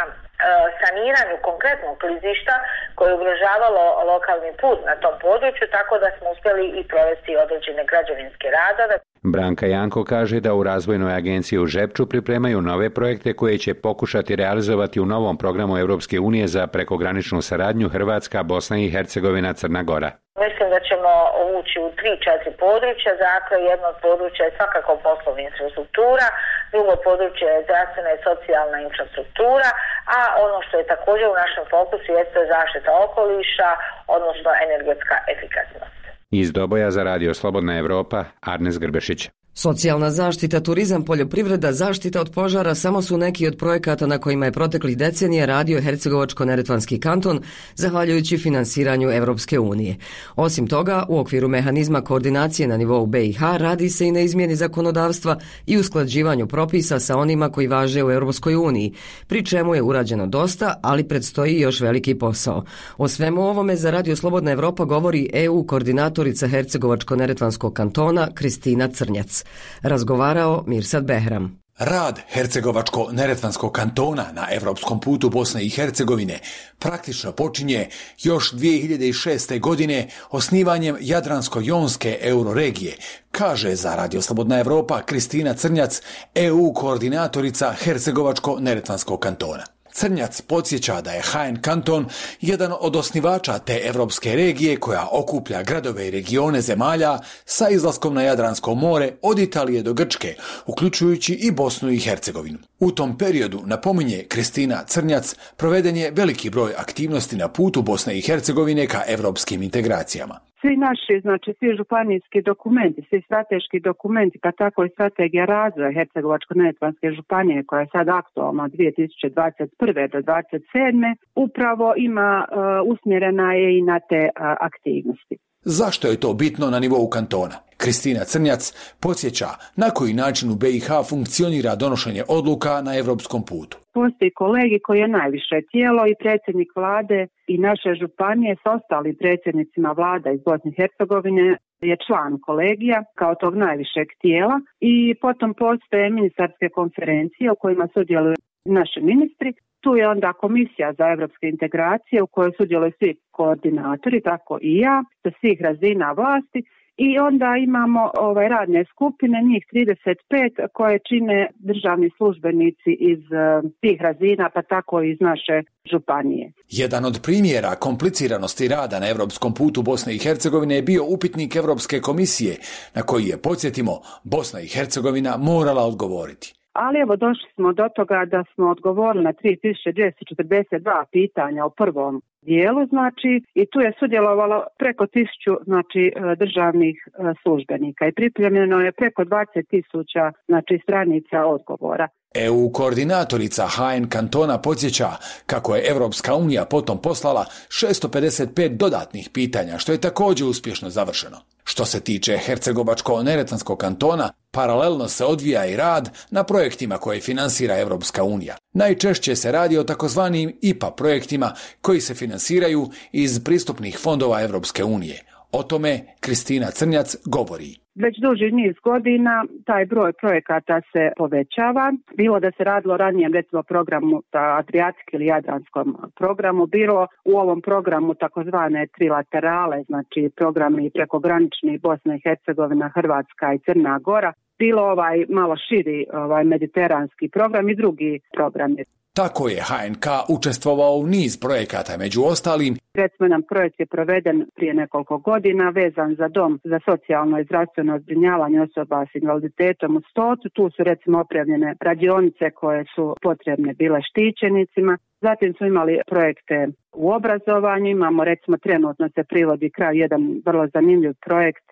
saniranju konkretnog klizišta koje je ugrožavalo lokalni put na tom području, tako da smo uspjeli i provesti određene građevinske radove. Branka Janko kaže da u razvojnoj agenciji u Žepču pripremaju nove projekte koje će pokušati realizovati u novom programu Europske unije za prekograničnu saradnju Hrvatska, Bosna i Hercegovina, Crna Gora. Mislim da ćemo ući u tri, četiri područja. Dakle, jedno od područja je svakako poslovna infrastruktura, drugo područje je zdravstvena i socijalna infrastruktura, a ono što je također u našem fokusu jeste zaštita okoliša, odnosno energetska efikasnost. Iz Doboja za Radio Slobodna Evropa, Arnes Grbešić. Socijalna zaštita, turizam, poljoprivreda, zaštita od požara samo su neki od projekata na kojima je proteklih decenija radio Hercegovačko-neretvanski kanton, zahvaljujući finansiranju Evropske unije. Osim toga, u okviru mehanizma koordinacije na nivou B i H radi se i na izmjeni zakonodavstva i usklađivanju propisa sa onima koji važe u Europskoj uniji, pri čemu je urađeno dosta, ali predstoji još veliki posao. O svemu ovome za Radio Slobodna Evropa govori E U koordinatorica Hercegovačko-neretvanskog kantona Kristina Crnjac. Razgovarao Mirsad Behram. Rad Hercegovačko-neretvanskog kantona na evropskom putu Bosne i Hercegovine praktično počinje još dvije hiljade šeste. godine osnivanjem Jadransko-jonske euroregije, kaže za Radio Slobodna Evropa Kristina Crnjac, E U koordinatorica Hercegovačko-neretvanskog kantona. Crnjac podsjeća da je H N kanton jedan od osnivača te evropske regije koja okuplja gradove i regione zemalja sa izlaskom na Jadransko more od Italije do Grčke, uključujući i Bosnu i Hercegovinu. U tom periodu, napominje Kristina Crnjac, proveden je veliki broj aktivnosti na putu Bosne i Hercegovine ka evropskim integracijama. Svi naši, znači svi županijski dokumenti, svi strateški dokumenti, pa tako i strategija razvoja Hercegovačko-neretvanske županije koja je sad aktualna od dvije tisuće dvadeset prve do dvadeset sedme upravo ima uh, usmjerena je i na te uh, aktivnosti. Zašto je to bitno na nivou kantona? Kristina Crnjac podsjeća na koji način u B i H funkcionira donošenje odluka na evropskom putu. Postoji kolegi koji je najviše tijelo i predsjednik vlade i naše županije s ostalim predsjednicima vlada iz Bosne i Hercegovine je član kolegija kao tog najvišeg tijela i potom postoje ministarske konferencije u kojima sudjeluju naši ministri. Tu je onda komisija za evropske integracije u kojoj sudjeluju svi koordinatori, tako i ja, sa svih razina vlasti. I onda imamo ovaj radne skupine, njih trideset pet, koje čine državni službenici iz uh, tih razina, pa tako i iz naše županije. Jedan od primjera kompliciranosti rada na evropskom putu Bosne i Hercegovine je bio upitnik Evropske komisije, na koji je, podsjetimo, Bosna i Hercegovina morala odgovoriti. Ali evo došli smo do toga da smo odgovorili na tri tisuće dvjesto četrdeset dva pitanja u prvom dijelu, znači, i tu je sudjelovalo preko tisuću, znači, državnih službenika i pripremljeno je preko dvadeset tisuća, znači, stranica odgovora. E U koordinatorica H N kantona podsjeća kako je Evropska unija potom poslala šesto pedeset pet dodatnih pitanja, što je također uspješno završeno. Što se tiče Hercegovačko-neretvanskog kantona, paralelno se odvija i rad na projektima koje finansira Evropska unija. Najčešće se radi o takozvanim I P A projektima koji se finansiraju iz pristupnih fondova Evropske unije. O tome Kristina Crnjac govori. Već duži niz godina taj broj projekata se povećava. Bilo da se radilo ranijem, recimo programu Adriatik ili Jadranskom programu, bilo u ovom programu takozvane trilaterale, znači programi prekogranični Bosna i Hercegovina, Hrvatska i Crna Gora, bilo ovaj malo širi ovaj mediteranski program i drugi programi. Tako je H N K učestvovao u niz projekata, među ostalim. Recimo, nam projekt je proveden prije nekoliko godina vezan za dom za socijalno i zdravstveno zbrinjavanje osoba s invaliditetom u Stotu. Tu su recimo opremljene radionice koje su potrebne bile štićenicima. Zatim smo imali projekte u obrazovanju. Imamo recimo trenutno se privodi kraj jedan vrlo zanimljiv projekt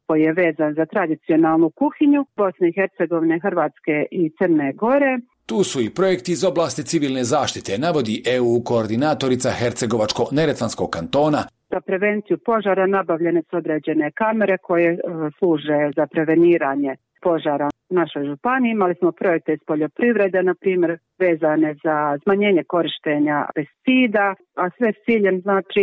koji je vezan za tradicionalnu kuhinju Bosne i Hercegovine, Hrvatske i Crne Gore. Tu su i projekti iz oblasti civilne zaštite, navodi E U koordinatorica Hercegovačko-neretvanskog kantona. Za prevenciju požara nabavljene su određene kamere koje e, služe za preveniranje požara u našoj županiji. Imali smo projekte iz poljoprivrede, na primjer, vezane za smanjenje korištenja pesticida, a sve s ciljem, znači,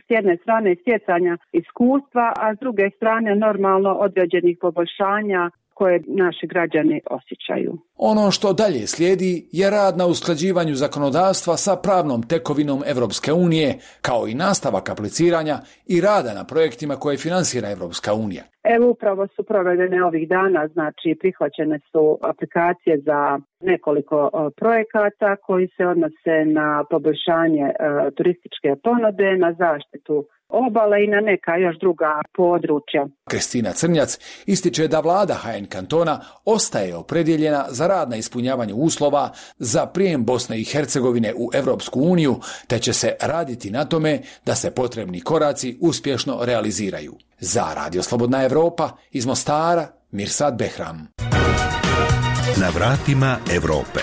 s jedne strane stjecanja iskustva, a s druge strane normalno određenih poboljšanja koje naši građani osjećaju. Ono što dalje slijedi je rad na usklađivanju zakonodavstva sa pravnom tekovinom Evropske unije, kao i nastavak apliciranja i rada na projektima koje finansira Evropska unija. Evo upravo su provedene ovih dana, znači prihvaćene su aplikacije za nekoliko o, projekata koji se odnose na poboljšanje e, turističke ponude, na zaštitu obale i na neka još druga područja. Kristina Crnjac ističe da vlada H N kantona ostaje opredjeljena za rad na ispunjavanju uslova za prijem Bosne i Hercegovine u Evropsku uniju, te će se raditi na tome da se potrebni koraci uspješno realiziraju. Za Radio Slobodna Evropa iz Mostara, Mirsad Behram. Na vratima Evrope.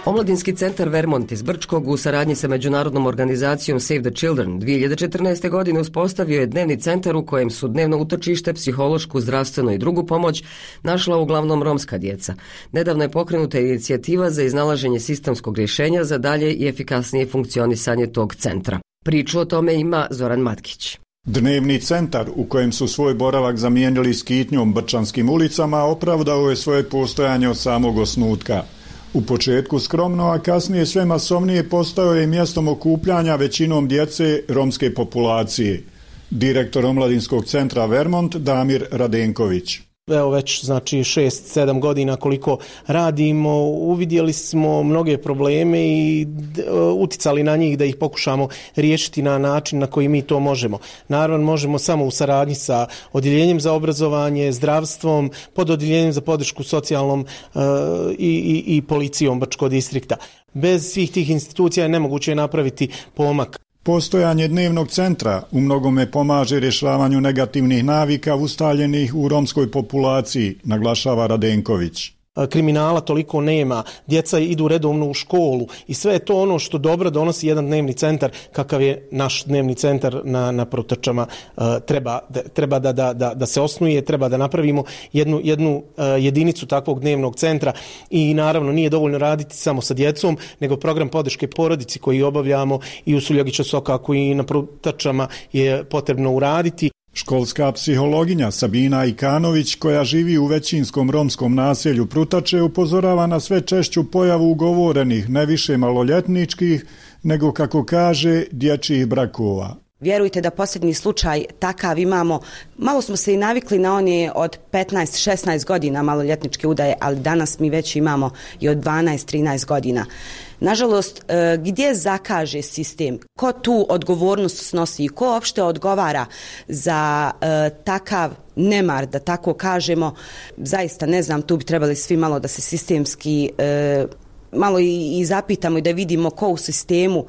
Omladinski centar Vermont iz Brčkog u saradnji sa međunarodnom organizacijom Save the Children dvije hiljade četrnaeste. godine uspostavio je dnevni centar u kojem su dnevno utočište, psihološku, zdravstvenu i drugu pomoć našla uglavnom romska djeca. Nedavno je pokrenuta inicijativa za iznalaženje sistemskog rješenja za dalje i efikasnije funkcionisanje tog centra. Priču o tome ima Zoran Matkić. Dnevni centar, u kojem su svoj boravak zamijenili skitnjom brčanskim ulicama, opravdao je svoje postojanje od samog osnutka. U početku skromno, a kasnije sve masovnije postao je mjestom okupljanja većinom djece romske populacije. Direktor omladinskog centra Vermont Damir Radenković. Evo već znači šest sedam godina koliko radimo, uvidjeli smo mnoge probleme i uticali na njih da ih pokušamo riješiti na način na koji mi to možemo. Naravno možemo samo u saradnji sa odjeljenjem za obrazovanje, zdravstvom, pod odjeljenjem za podršku socijalnom uh, i, i, i policijom Brčkog distrikta. Bez svih tih institucija je nemoguće napraviti pomak. Postojanje dnevnog centra u mnogome pomaže rješavanju negativnih navika ustaljenih u romskoj populaciji, naglašava Radenković. kriminala toliko nema, djeca idu redovno u školu i sve je to ono što dobro donosi jedan dnevni centar kakav je naš dnevni centar na, na Protrčama. Treba, treba da, da, da, da se osnuje, treba da napravimo jednu, jednu jedinicu takvog dnevnog centra i naravno nije dovoljno raditi samo sa djecom, nego program podrške porodici koji obavljamo i u Suljagića Sokaku i na Protrčama je potrebno uraditi. Školska psihologinja Sabina Ikanović, koja živi u većinskom romskom naselju Prutače, upozorava na sve češću pojavu ugovorenih, ne više maloljetničkih, nego, kako kaže, dječjih brakova. Vjerujte da posljednji slučaj takav imamo, malo smo se i navikli na one od petnaest šesnaest godina maloljetničke udaje, ali danas mi već imamo i od dvanaest trinaest godina. Nažalost, gdje zakaže sistem, ko tu odgovornost snosi i ko uopšte odgovara za takav nemar, da tako kažemo, zaista ne znam, tu bi trebali svi malo da se sistemski malo i zapitamo i da vidimo ko u sistemu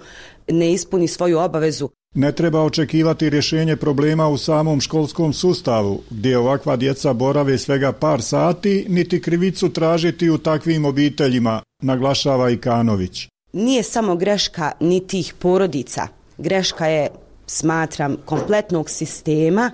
ne ispuni svoju obavezu. Ne treba očekivati rješenje problema u samom školskom sustavu, gdje ovakva djeca borave svega par sati, niti krivicu tražiti u takvim obiteljima, naglašava Ikanović. Nije samo greška ni tih porodica, greška je, smatram, kompletnog sistema,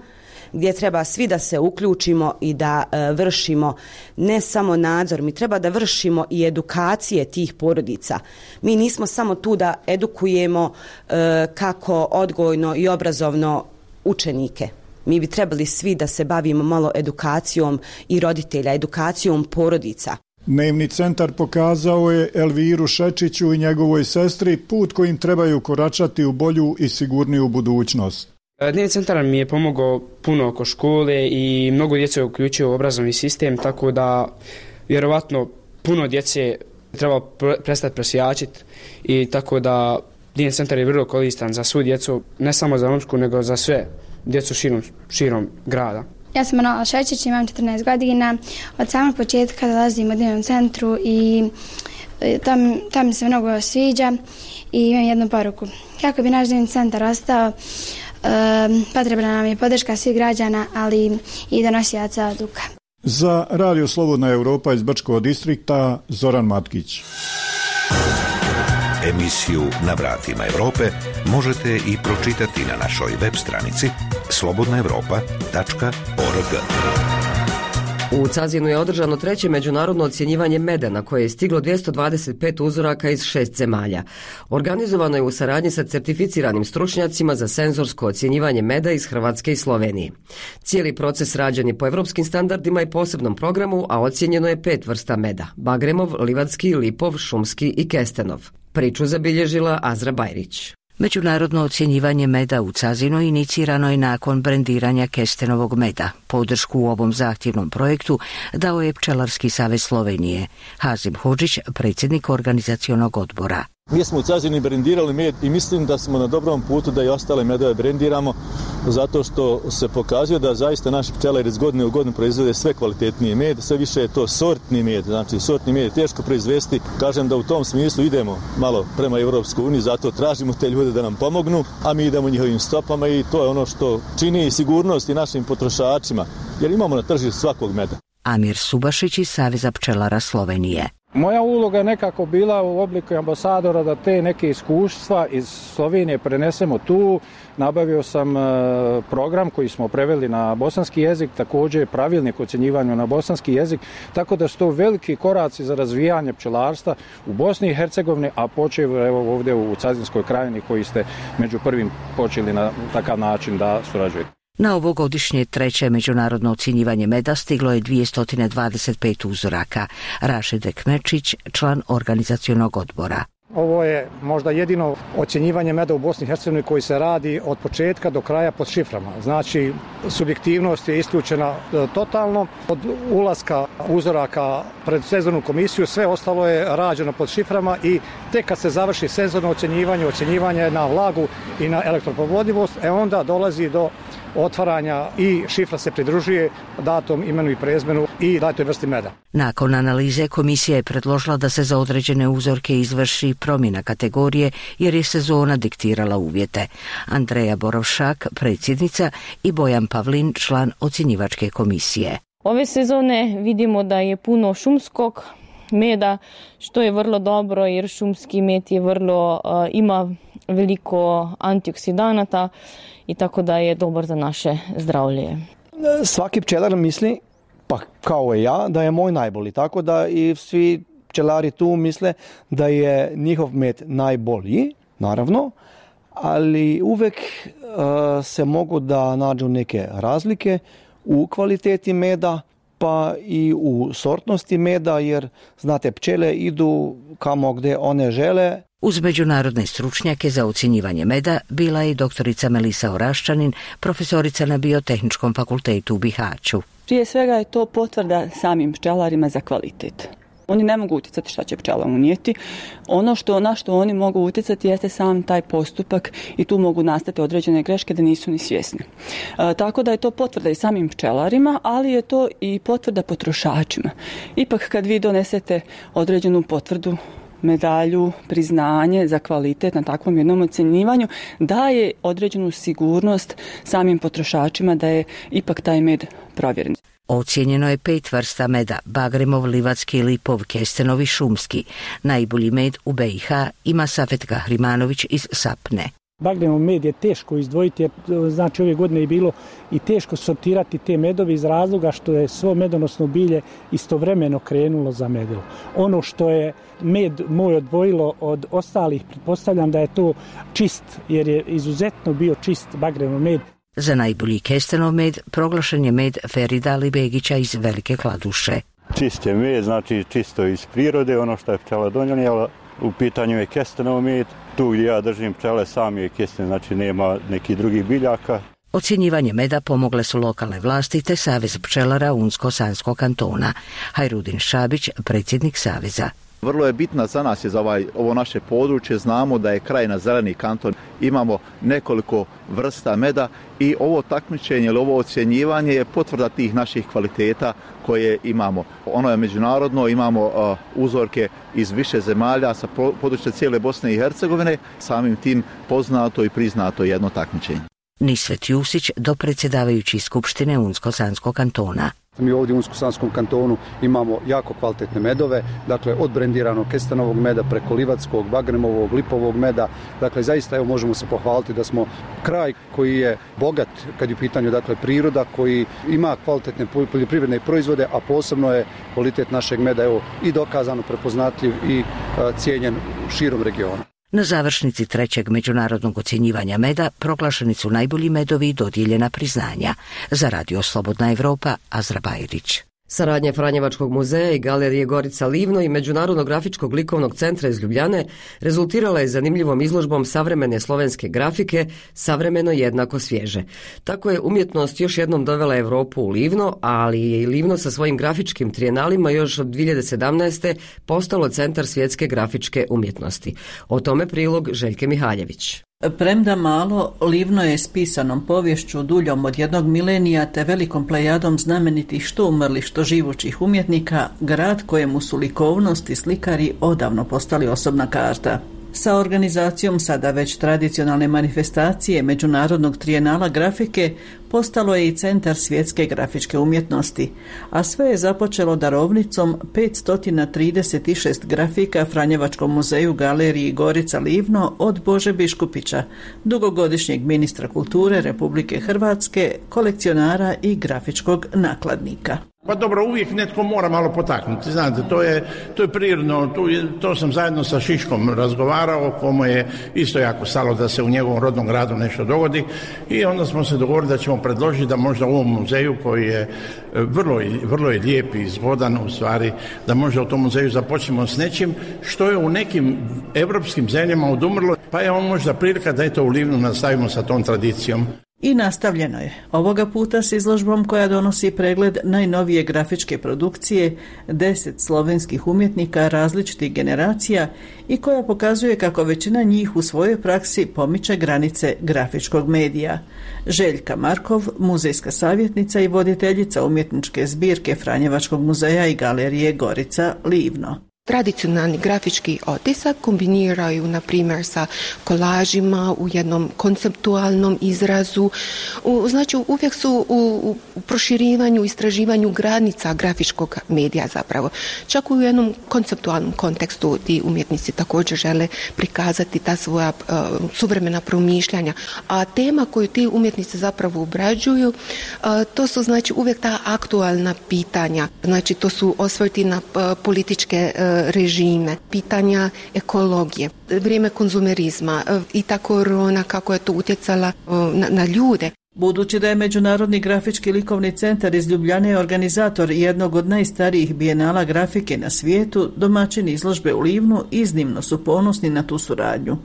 gdje treba svi da se uključimo i da e, vršimo ne samo nadzor, mi treba da vršimo i edukacije tih porodica. Mi nismo samo tu da edukujemo e, kako odgojno i obrazovno učenike. Mi bi trebali svi da se bavimo malo edukacijom i roditelja, edukacijom porodica. Dnevni centar pokazao je Elviru Šečiću i njegovoj sestri put kojim trebaju koračati u bolju i sigurniju budućnost. Dnevni centar mi je pomogao puno oko škole i mnogo djece je uključio u obrazovni sistem, tako da vjerovatno puno djece treba prestati prosjačiti i tako da dnevni centar je vrlo koristan za svu djecu, ne samo za romsku, nego za sve djecu širom, širom grada. Ja sam Manuela Šečić, imam četrnaest godina, od samog početka dolazim u dnevnom centru i tam, tam mi se mnogo sviđa i imam jednu poruku. Kako bi naš dnevni centar ostao, potrebna nam je podrška svih građana, ali i donosilaca odluka. Za Radio Slobodna Europa iz Brčkog distrikta, Zoran Matkić. Emisiju Na vratima Europe možete i pročitati na našoj web stranici slobodna europa tačka org. U Cazinu je održano treće međunarodno ocjenjivanje meda na koje je stiglo dvjesto dvadeset pet uzoraka iz šest zemalja. Organizovano je u saradnji sa certificiranim stručnjacima za senzorsko ocjenjivanje meda iz Hrvatske i Slovenije. Cijeli proces rađen je po evropskim standardima i posebnom programu, a ocjenjeno je pet vrsta meda: Bagremov, Livadski, Lipov, Šumski i Kestenov. Priču zabilježila Azra Bajrić. Međunarodno ocjenjivanje meda u Cazinu inicirano je nakon brendiranja Kestenovog meda. Podršku u ovom zahtjevnom projektu dao je Pčelarski savez Slovenije. Hazim Hodžić, predsjednik organizacionog odbora. Mi smo u Cazinu brendirali med i mislim da smo na dobrom putu da i ostale medove brendiramo, zato što se pokazuje da zaista naši pčelari iz godine u godinu proizvode sve kvalitetniji med, sve više je to sortni med, znači sortni med je teško proizvesti. Kažem da u tom smislu idemo malo prema Europskoj uniji, zato tražimo te ljude da nam pomognu, a mi idemo njihovim stopama i to je ono što čini sigurnost i našim potrošačima, jer imamo na tržištu svakog meda. Amir Subašić iz Saveza pčelara Slovenije. Moja uloga je nekako bila u obliku ambasadora da te neke iskustva iz Slovenije prenesemo tu. Nabavio sam program koji smo preveli na bosanski jezik, također pravilnik o ocjenjivanju na bosanski jezik, tako da su to veliki koraci za razvijanje pčelarstva u Bosni i Hercegovini, a počeo evo ovdje u Cazinskoj krajini koji ste među prvim počeli na takav način da surađujete. Na ovogodišnje treće međunarodno ocjenjivanje meda stiglo je dvjesto dvadeset pet uzoraka. Rašid Ekmečić, član organizacionog odbora. Ovo je možda jedino ocjenjivanje meda u Bosni i Hercegovini koji se radi od početka do kraja pod šiframa. Znači, subjektivnost je isključena totalno. Od ulaska uzoraka pred senzornu komisiju sve ostalo je rađeno pod šiframa i tek kad se završi senzorno ocjenjivanje, ocjenjivanje na vlagu i na elektroprovodljivost, e onda dolazi do otvaranja i šifra se pridružuje datom, imenu i prezimenu i datoj vrsti meda. Nakon analize komisija je predložila da se za određene uzorke izvrši promjena kategorije jer je sezona diktirala uvjete. Andreja Borovšak, predsjednica, i Bojan Pavlin, član ocjenjivačke komisije. Ove sezone vidimo da je puno šumskog meda, što je vrlo dobro jer šumski med je vrlo, uh, ima veliko antioksidanata i tako da je dobar za naše zdravlje. Svaki pčelar misli, pa kao i ja, da je moj najbolji, tako da i svi pčelari tu misle da je njihov med najbolji, naravno, ali uvek uh, se mogu da nađu neke razlike u kvaliteti meda, pa i u sortnosti meda, jer znate, pčele idu kamo gde one žele. Uz međunarodne stručnjake za ocjenjivanje meda bila je i doktorica Melisa Oraščanin, profesorica na Biotehničkom fakultetu u Bihaću. Prije svega je to potvrda samim pčelarima za kvalitet. Oni ne mogu utjecati šta će pčela unijeti. Ono što, na što oni mogu utjecati jeste sam taj postupak i tu mogu nastati određene greške da nisu ni svjesni. E, tako da je to potvrda i samim pčelarima, ali je to i potvrda potrošačima. Ipak kad vi donesete određenu potvrdu, medalju, priznanje za kvalitet na takvom jednom ocjenjivanju, daje određenu sigurnost samim potrošačima da je ipak taj med provjeren. Ocijenjeno je pet vrsta meda: Bagremov, Livatski, Lipov, Kestenov i Šumski. Najbolji med u B i H ima Safet Kahrimanović iz Sapne. Bagremov med je teško izdvojiti, jer znači ove godine je bilo i teško sortirati te medove iz razloga što je svo medonosno bilje istovremeno krenulo za medilo. Ono što je med moj odvojilo od ostalih, pretpostavljam da je to čist, jer je izuzetno bio čist Bagremov med. Za najbolji kestenov med proglašen je med Ferida Alibegića iz Velike Kladuše. Čist je med, znači čisto iz prirode, ono što je pčela donijela. U pitanju je kestenov med, tu gdje ja držim pčele sam je kesten, znači nema nekih drugih biljaka. Ocjenjivanje meda pomogle su lokalne vlasti te Savez pčelara Unsko-Sanskog kantona. Hajrudin Šabić, predsjednik Saveza. Vrlo je bitna za nas je za ovaj, ovo naše područje, znamo da je Krajina zeleni kanton, imamo nekoliko vrsta meda i ovo takmičenje ili ovo ocjenjivanje je potvrda tih naših kvaliteta koje imamo. Ono je međunarodno, imamo uh, uzorke iz više zemalja sa područja cijele Bosne i Hercegovine, samim tim poznato i priznato jedno takmičenje. Nisvet Jusić, dopredsjedavajući Skupštine Unsko-Sanskog kantona. Mi ovdje u Unsko-Sanskom kantonu imamo jako kvalitetne medove, dakle od brendiranog kestenovog meda preko livatskog, bagremovog, lipovog meda. Dakle, zaista evo možemo se pohvaliti da smo kraj koji je bogat kad je u pitanju dakle priroda, koji ima kvalitetne poljoprivredne proizvode, a posebno je kvalitet našeg meda evo i dokazano prepoznatljiv i a, cijenjen širom regiona. Na završnici trećeg međunarodnog ocjenjivanja meda proglašeni su najbolji medovi i dodijeljena priznanja. Za Radio Slobodna Evropa, Azra Bajrić. Saradnja Franjevačkog muzeja i galerije Gorica Livno i Međunarodnog grafičkog likovnog centra iz Ljubljane rezultirala je zanimljivom izložbom savremene slovenske grafike, savremeno jednako svježe. Tako je umjetnost još jednom dovela Evropu u Livno, ali je i Livno sa svojim grafičkim trijenalima još od dvije hiljade sedamnaeste. postalo centar svjetske grafičke umjetnosti. O tome prilog Željke Mihaljević. Premda malo, Livno je s pisanom povješću duljom od jednog milenija te velikom plejadom znamenitih što umrlih što živućih umjetnika, grad kojemu su likovnost i slikari odavno postali osobna karta. Sa organizacijom sada već tradicionalne manifestacije Međunarodnog trijenala grafike postalo je i centar svjetske grafičke umjetnosti, a sve je započelo darovnicom petsto trideset šest grafika Franjevačkom muzeju galeriji Gorica Livno od Bože Biškupića, dugogodišnjeg ministra kulture Republike Hrvatske, kolekcionara i grafičkog nakladnika. Pa dobro, uvijek netko mora malo potaknuti, znate, to je, to je prirodno, to, to sam zajedno sa Šiškom razgovarao, komu je isto jako stalo da se u njegovom rodnom gradu nešto dogodi i onda smo se dogovorili da ćemo predložiti da možda u ovom muzeju koji je vrlo, vrlo je lijep i zgodan u stvari, da možda u tom muzeju započnemo s nečim što je u nekim evropskim zemljama odumrlo, pa je on možda prilika da eto u Livnu nastavimo sa tom tradicijom. I nastavljeno je, ovoga puta s izložbom koja donosi pregled najnovije grafičke produkcije deset slovenskih umjetnika različitih generacija i koja pokazuje kako većina njih u svojoj praksi pomiče granice grafičkog medija. Željka Markov, muzejska savjetnica i voditeljica umjetničke zbirke Franjevačkog muzeja i galerije Gorica Livno. Tradicionalni grafički otisak kombiniraju, na primjer, sa kolažima u jednom konceptualnom izrazu. U, znači, uvijek su u, u proširivanju, istraživanju granica grafičkog medija zapravo. Čak u jednom konceptualnom kontekstu ti umjetnici također žele prikazati ta svoja uh, suvremena promišljanja. A tema koju ti umjetnici zapravo obrađuju, uh, to su znači uvijek ta aktualna pitanja. Znači, to su osvrti na uh, političke uh, režime, pitanja ekologije, vrijeme konzumerizma i ta korona, kako je to utjecala na, na ljude. Budući da je Međunarodni grafički likovni centar iz Ljubljane organizator jednog od najstarijih bijenala grafike na svijetu, domaćini izložbe u Livnu iznimno su ponosni na tu suradnju.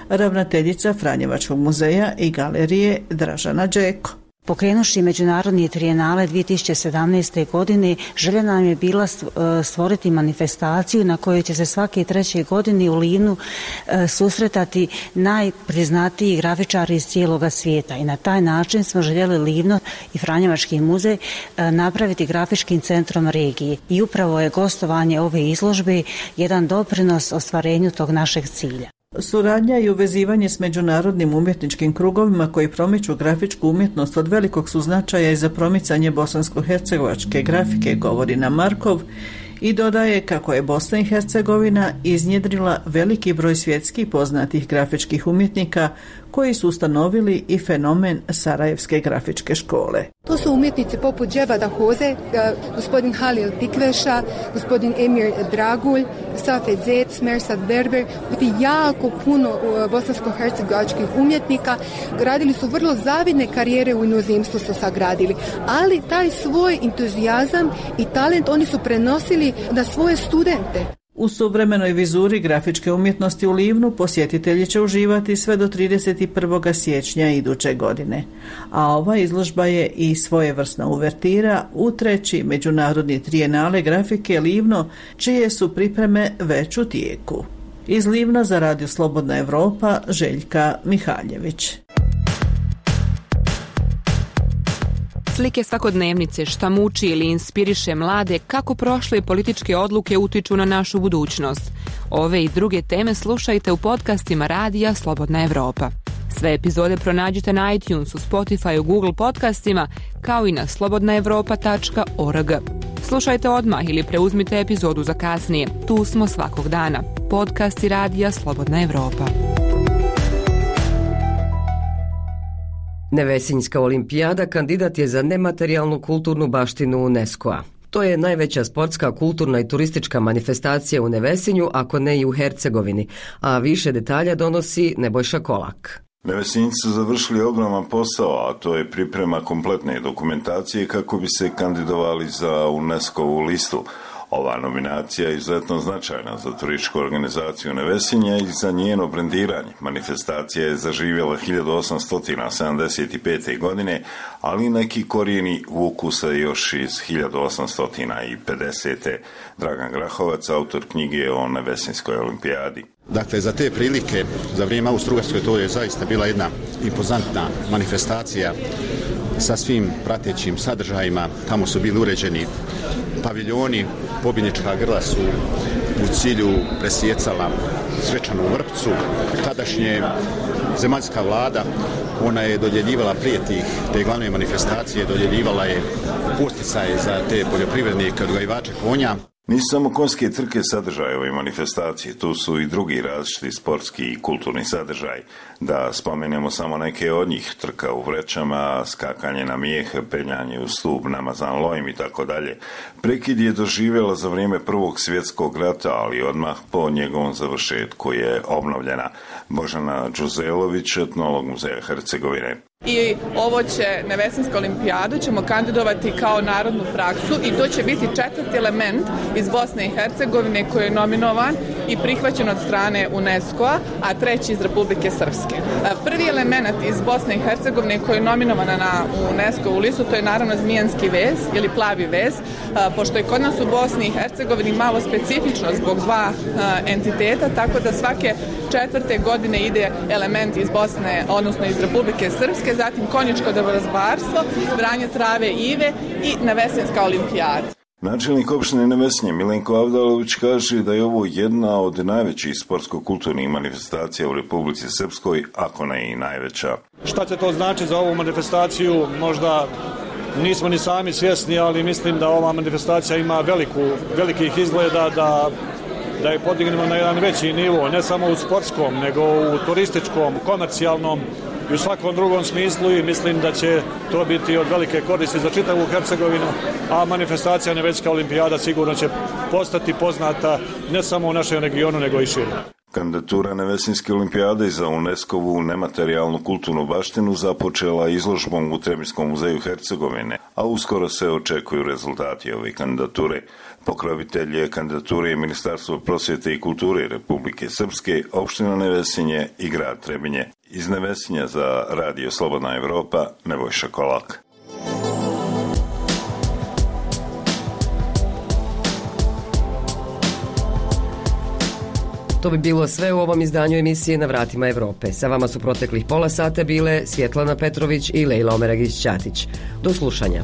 Ravnateljica Franjevačkog muzeja i galerije Dražana Đeko. Pokrenuši Međunarodni trijenale dvije tisuće sedamnaeste. godine, želja nam je bila stvoriti manifestaciju na kojoj će se svake treće godine u Livnu susretati najpriznatiji grafičari iz cijeloga svijeta. I na taj način smo željeli Livno i Franjevački muzej napraviti grafičkim centrom regije. I upravo je gostovanje ove izložbe jedan doprinos ostvarenju tog našeg cilja. Suradnja i uvezivanje s međunarodnim umjetničkim krugovima koji promiču grafičku umjetnost od velikog su značaja i za promicanje bosansko-hercegovačke grafike, govori nam Markov i dodaje kako je Bosna i Hercegovina iznjedrila veliki broj svjetskih poznatih grafičkih umjetnika koji su ustanovili i fenomen Sarajevske grafičke škole. To su umjetnici poput Dževada Hoze, gospodin Halil Tikveša, gospodin Emir Dragulj, Safet Zec, Mersad Berber, jako puno bosansko-hercegovačkih umjetnika. Gradili su vrlo zavidne karijere u inozemstvu su sagradili, ali taj svoj entuzijazam i talent oni su prenosili na svoje studente. U suvremenoj vizuri grafičke umjetnosti u Livnu posjetitelji će uživati sve do trideset prvog siječnja iduće godine. A ova izložba je i svojevrsna uvertira u treći Međunarodni trijenale grafike Livno, čije su pripreme već u tijeku. Iz Livna za Radio Slobodna Evropa, Željka Mihaljević. Slike svakodnevnice, šta muči ili inspiriše mlade, kako prošle političke odluke utiču na našu budućnost. Ove i druge teme slušajte u podcastima Radija Slobodna Evropa. Sve epizode pronađite na iTunesu, Spotify, Google podcastima, kao i na slobodna evropa tačka org. Slušajte odmah ili preuzmite epizodu za kasnije. Tu smo svakog dana. Podcasti Radija Slobodna Evropa. Nevesinjska olimpijada kandidat je za nematerijalnu kulturnu baštinu UNESCO-a. To je najveća sportska, kulturna i turistička manifestacija u Nevesinju, ako ne i u Hercegovini, a više detalja donosi Nebojša Kolak. Nevesinjci su završili ogroman posao, a to je priprema kompletne dokumentacije kako bi se kandidovali za UNESCO-vu listu. Ova nominacija je izuzetno značajna za turističku organizaciju Nevesinja i za njeno brendiranje. Manifestacija je zaživjela hiljadu osamsto sedamdeset pete. godine, ali neki korijeni vuku se još iz hiljadu osamsto pedesete. Dragan Grahovac, autor knjige o Nevesinjskoj olimpijadi. Dakle, za te prilike, za vrijeme Austro-Ugarske, to je zaista bila jedna impozantna manifestacija sa svim pratećim sadržajima. Tamo su bili uređeni paviljoni, pobjednička grla su u cilju presjecala svečanu vrpcu. Tadašnje zemaljska vlada, ona je dodjeljivala prije tih, te glavne manifestacije, dodjeljivala je posticaje za te poljoprivrednike, odgajivače konja. Nisu samo konjske trke sadržaje ove manifestacije, tu su i drugi različiti sportski i kulturni sadržaj. Da spomenemo samo neke od njih, trka u vrećama, skakanje na mijeh, penjanje u stup, namazan lojim i tako dalje. Prekid je doživjela za vrijeme Prvog svjetskog rata, ali odmah po njegovom završetku je obnovljena. Božana Đuzelović, etnolog Muzeja Hercegovine. I ovo će Nevesinjsku olimpijadu ćemo kandidovati kao narodnu praksu i to će biti četvrti element iz Bosne i Hercegovine koji je nominovan i prihvaćen od strane UNESCO-a, a treći iz Republike Srpske. Prvi element iz Bosne i Hercegovine koji je nominovana na UNESCO-u listu, to je naravno zmijanski vez ili plavi vez, pošto je kod nas u Bosni i Hercegovini malo specifično zbog dva entiteta, tako da svake četvrte godine ide element iz Bosne, odnosno iz Republike Srpske, zatim konjičko dobrozbarstvo, branje trave i ive i Nevesinjska olimpijada. Načelnik opštine Nevesinje Milenko Avdalović kaže da je ovo jedna od najvećih sportsko-kulturnih manifestacija u Republici Srpskoj, ako ne i najveća. Šta će to znači za ovu manifestaciju? Možda nismo ni sami svjesni, ali mislim da ova manifestacija ima veliku, velikih izgleda da, da je podignemo na jedan veći nivo, ne samo u sportskom, nego u turističkom, komercijalnom i u svakom drugom smislu, i mislim da će to biti od velike koristi za čitavu Hercegovinu, a manifestacija Nevesinjska olimpijada sigurno će postati poznata ne samo u našem regionu, nego i šire. Kandidatura Nevesinjske olimpijade za UNESCO-vu nematerijalnu kulturnu baštinu započela izložbom u Trebinjskom muzeju Hercegovine, a uskoro se očekuju rezultati ove kandidature. Pokrovitelj je kandidature Ministarstvo prosvjete i kulture Republike Srpske, opština Nevesinje i grad Trebinje. Iz Nevesinja za Radio Slobodna Evropa, Nebojša Kolak. To bi bilo sve u ovom izdanju emisije Na vratima Evrope. Sa vama su proteklih pola sata bile Svjetlana Petrović i Lejla Omeragić-Ćatić. Do slušanja.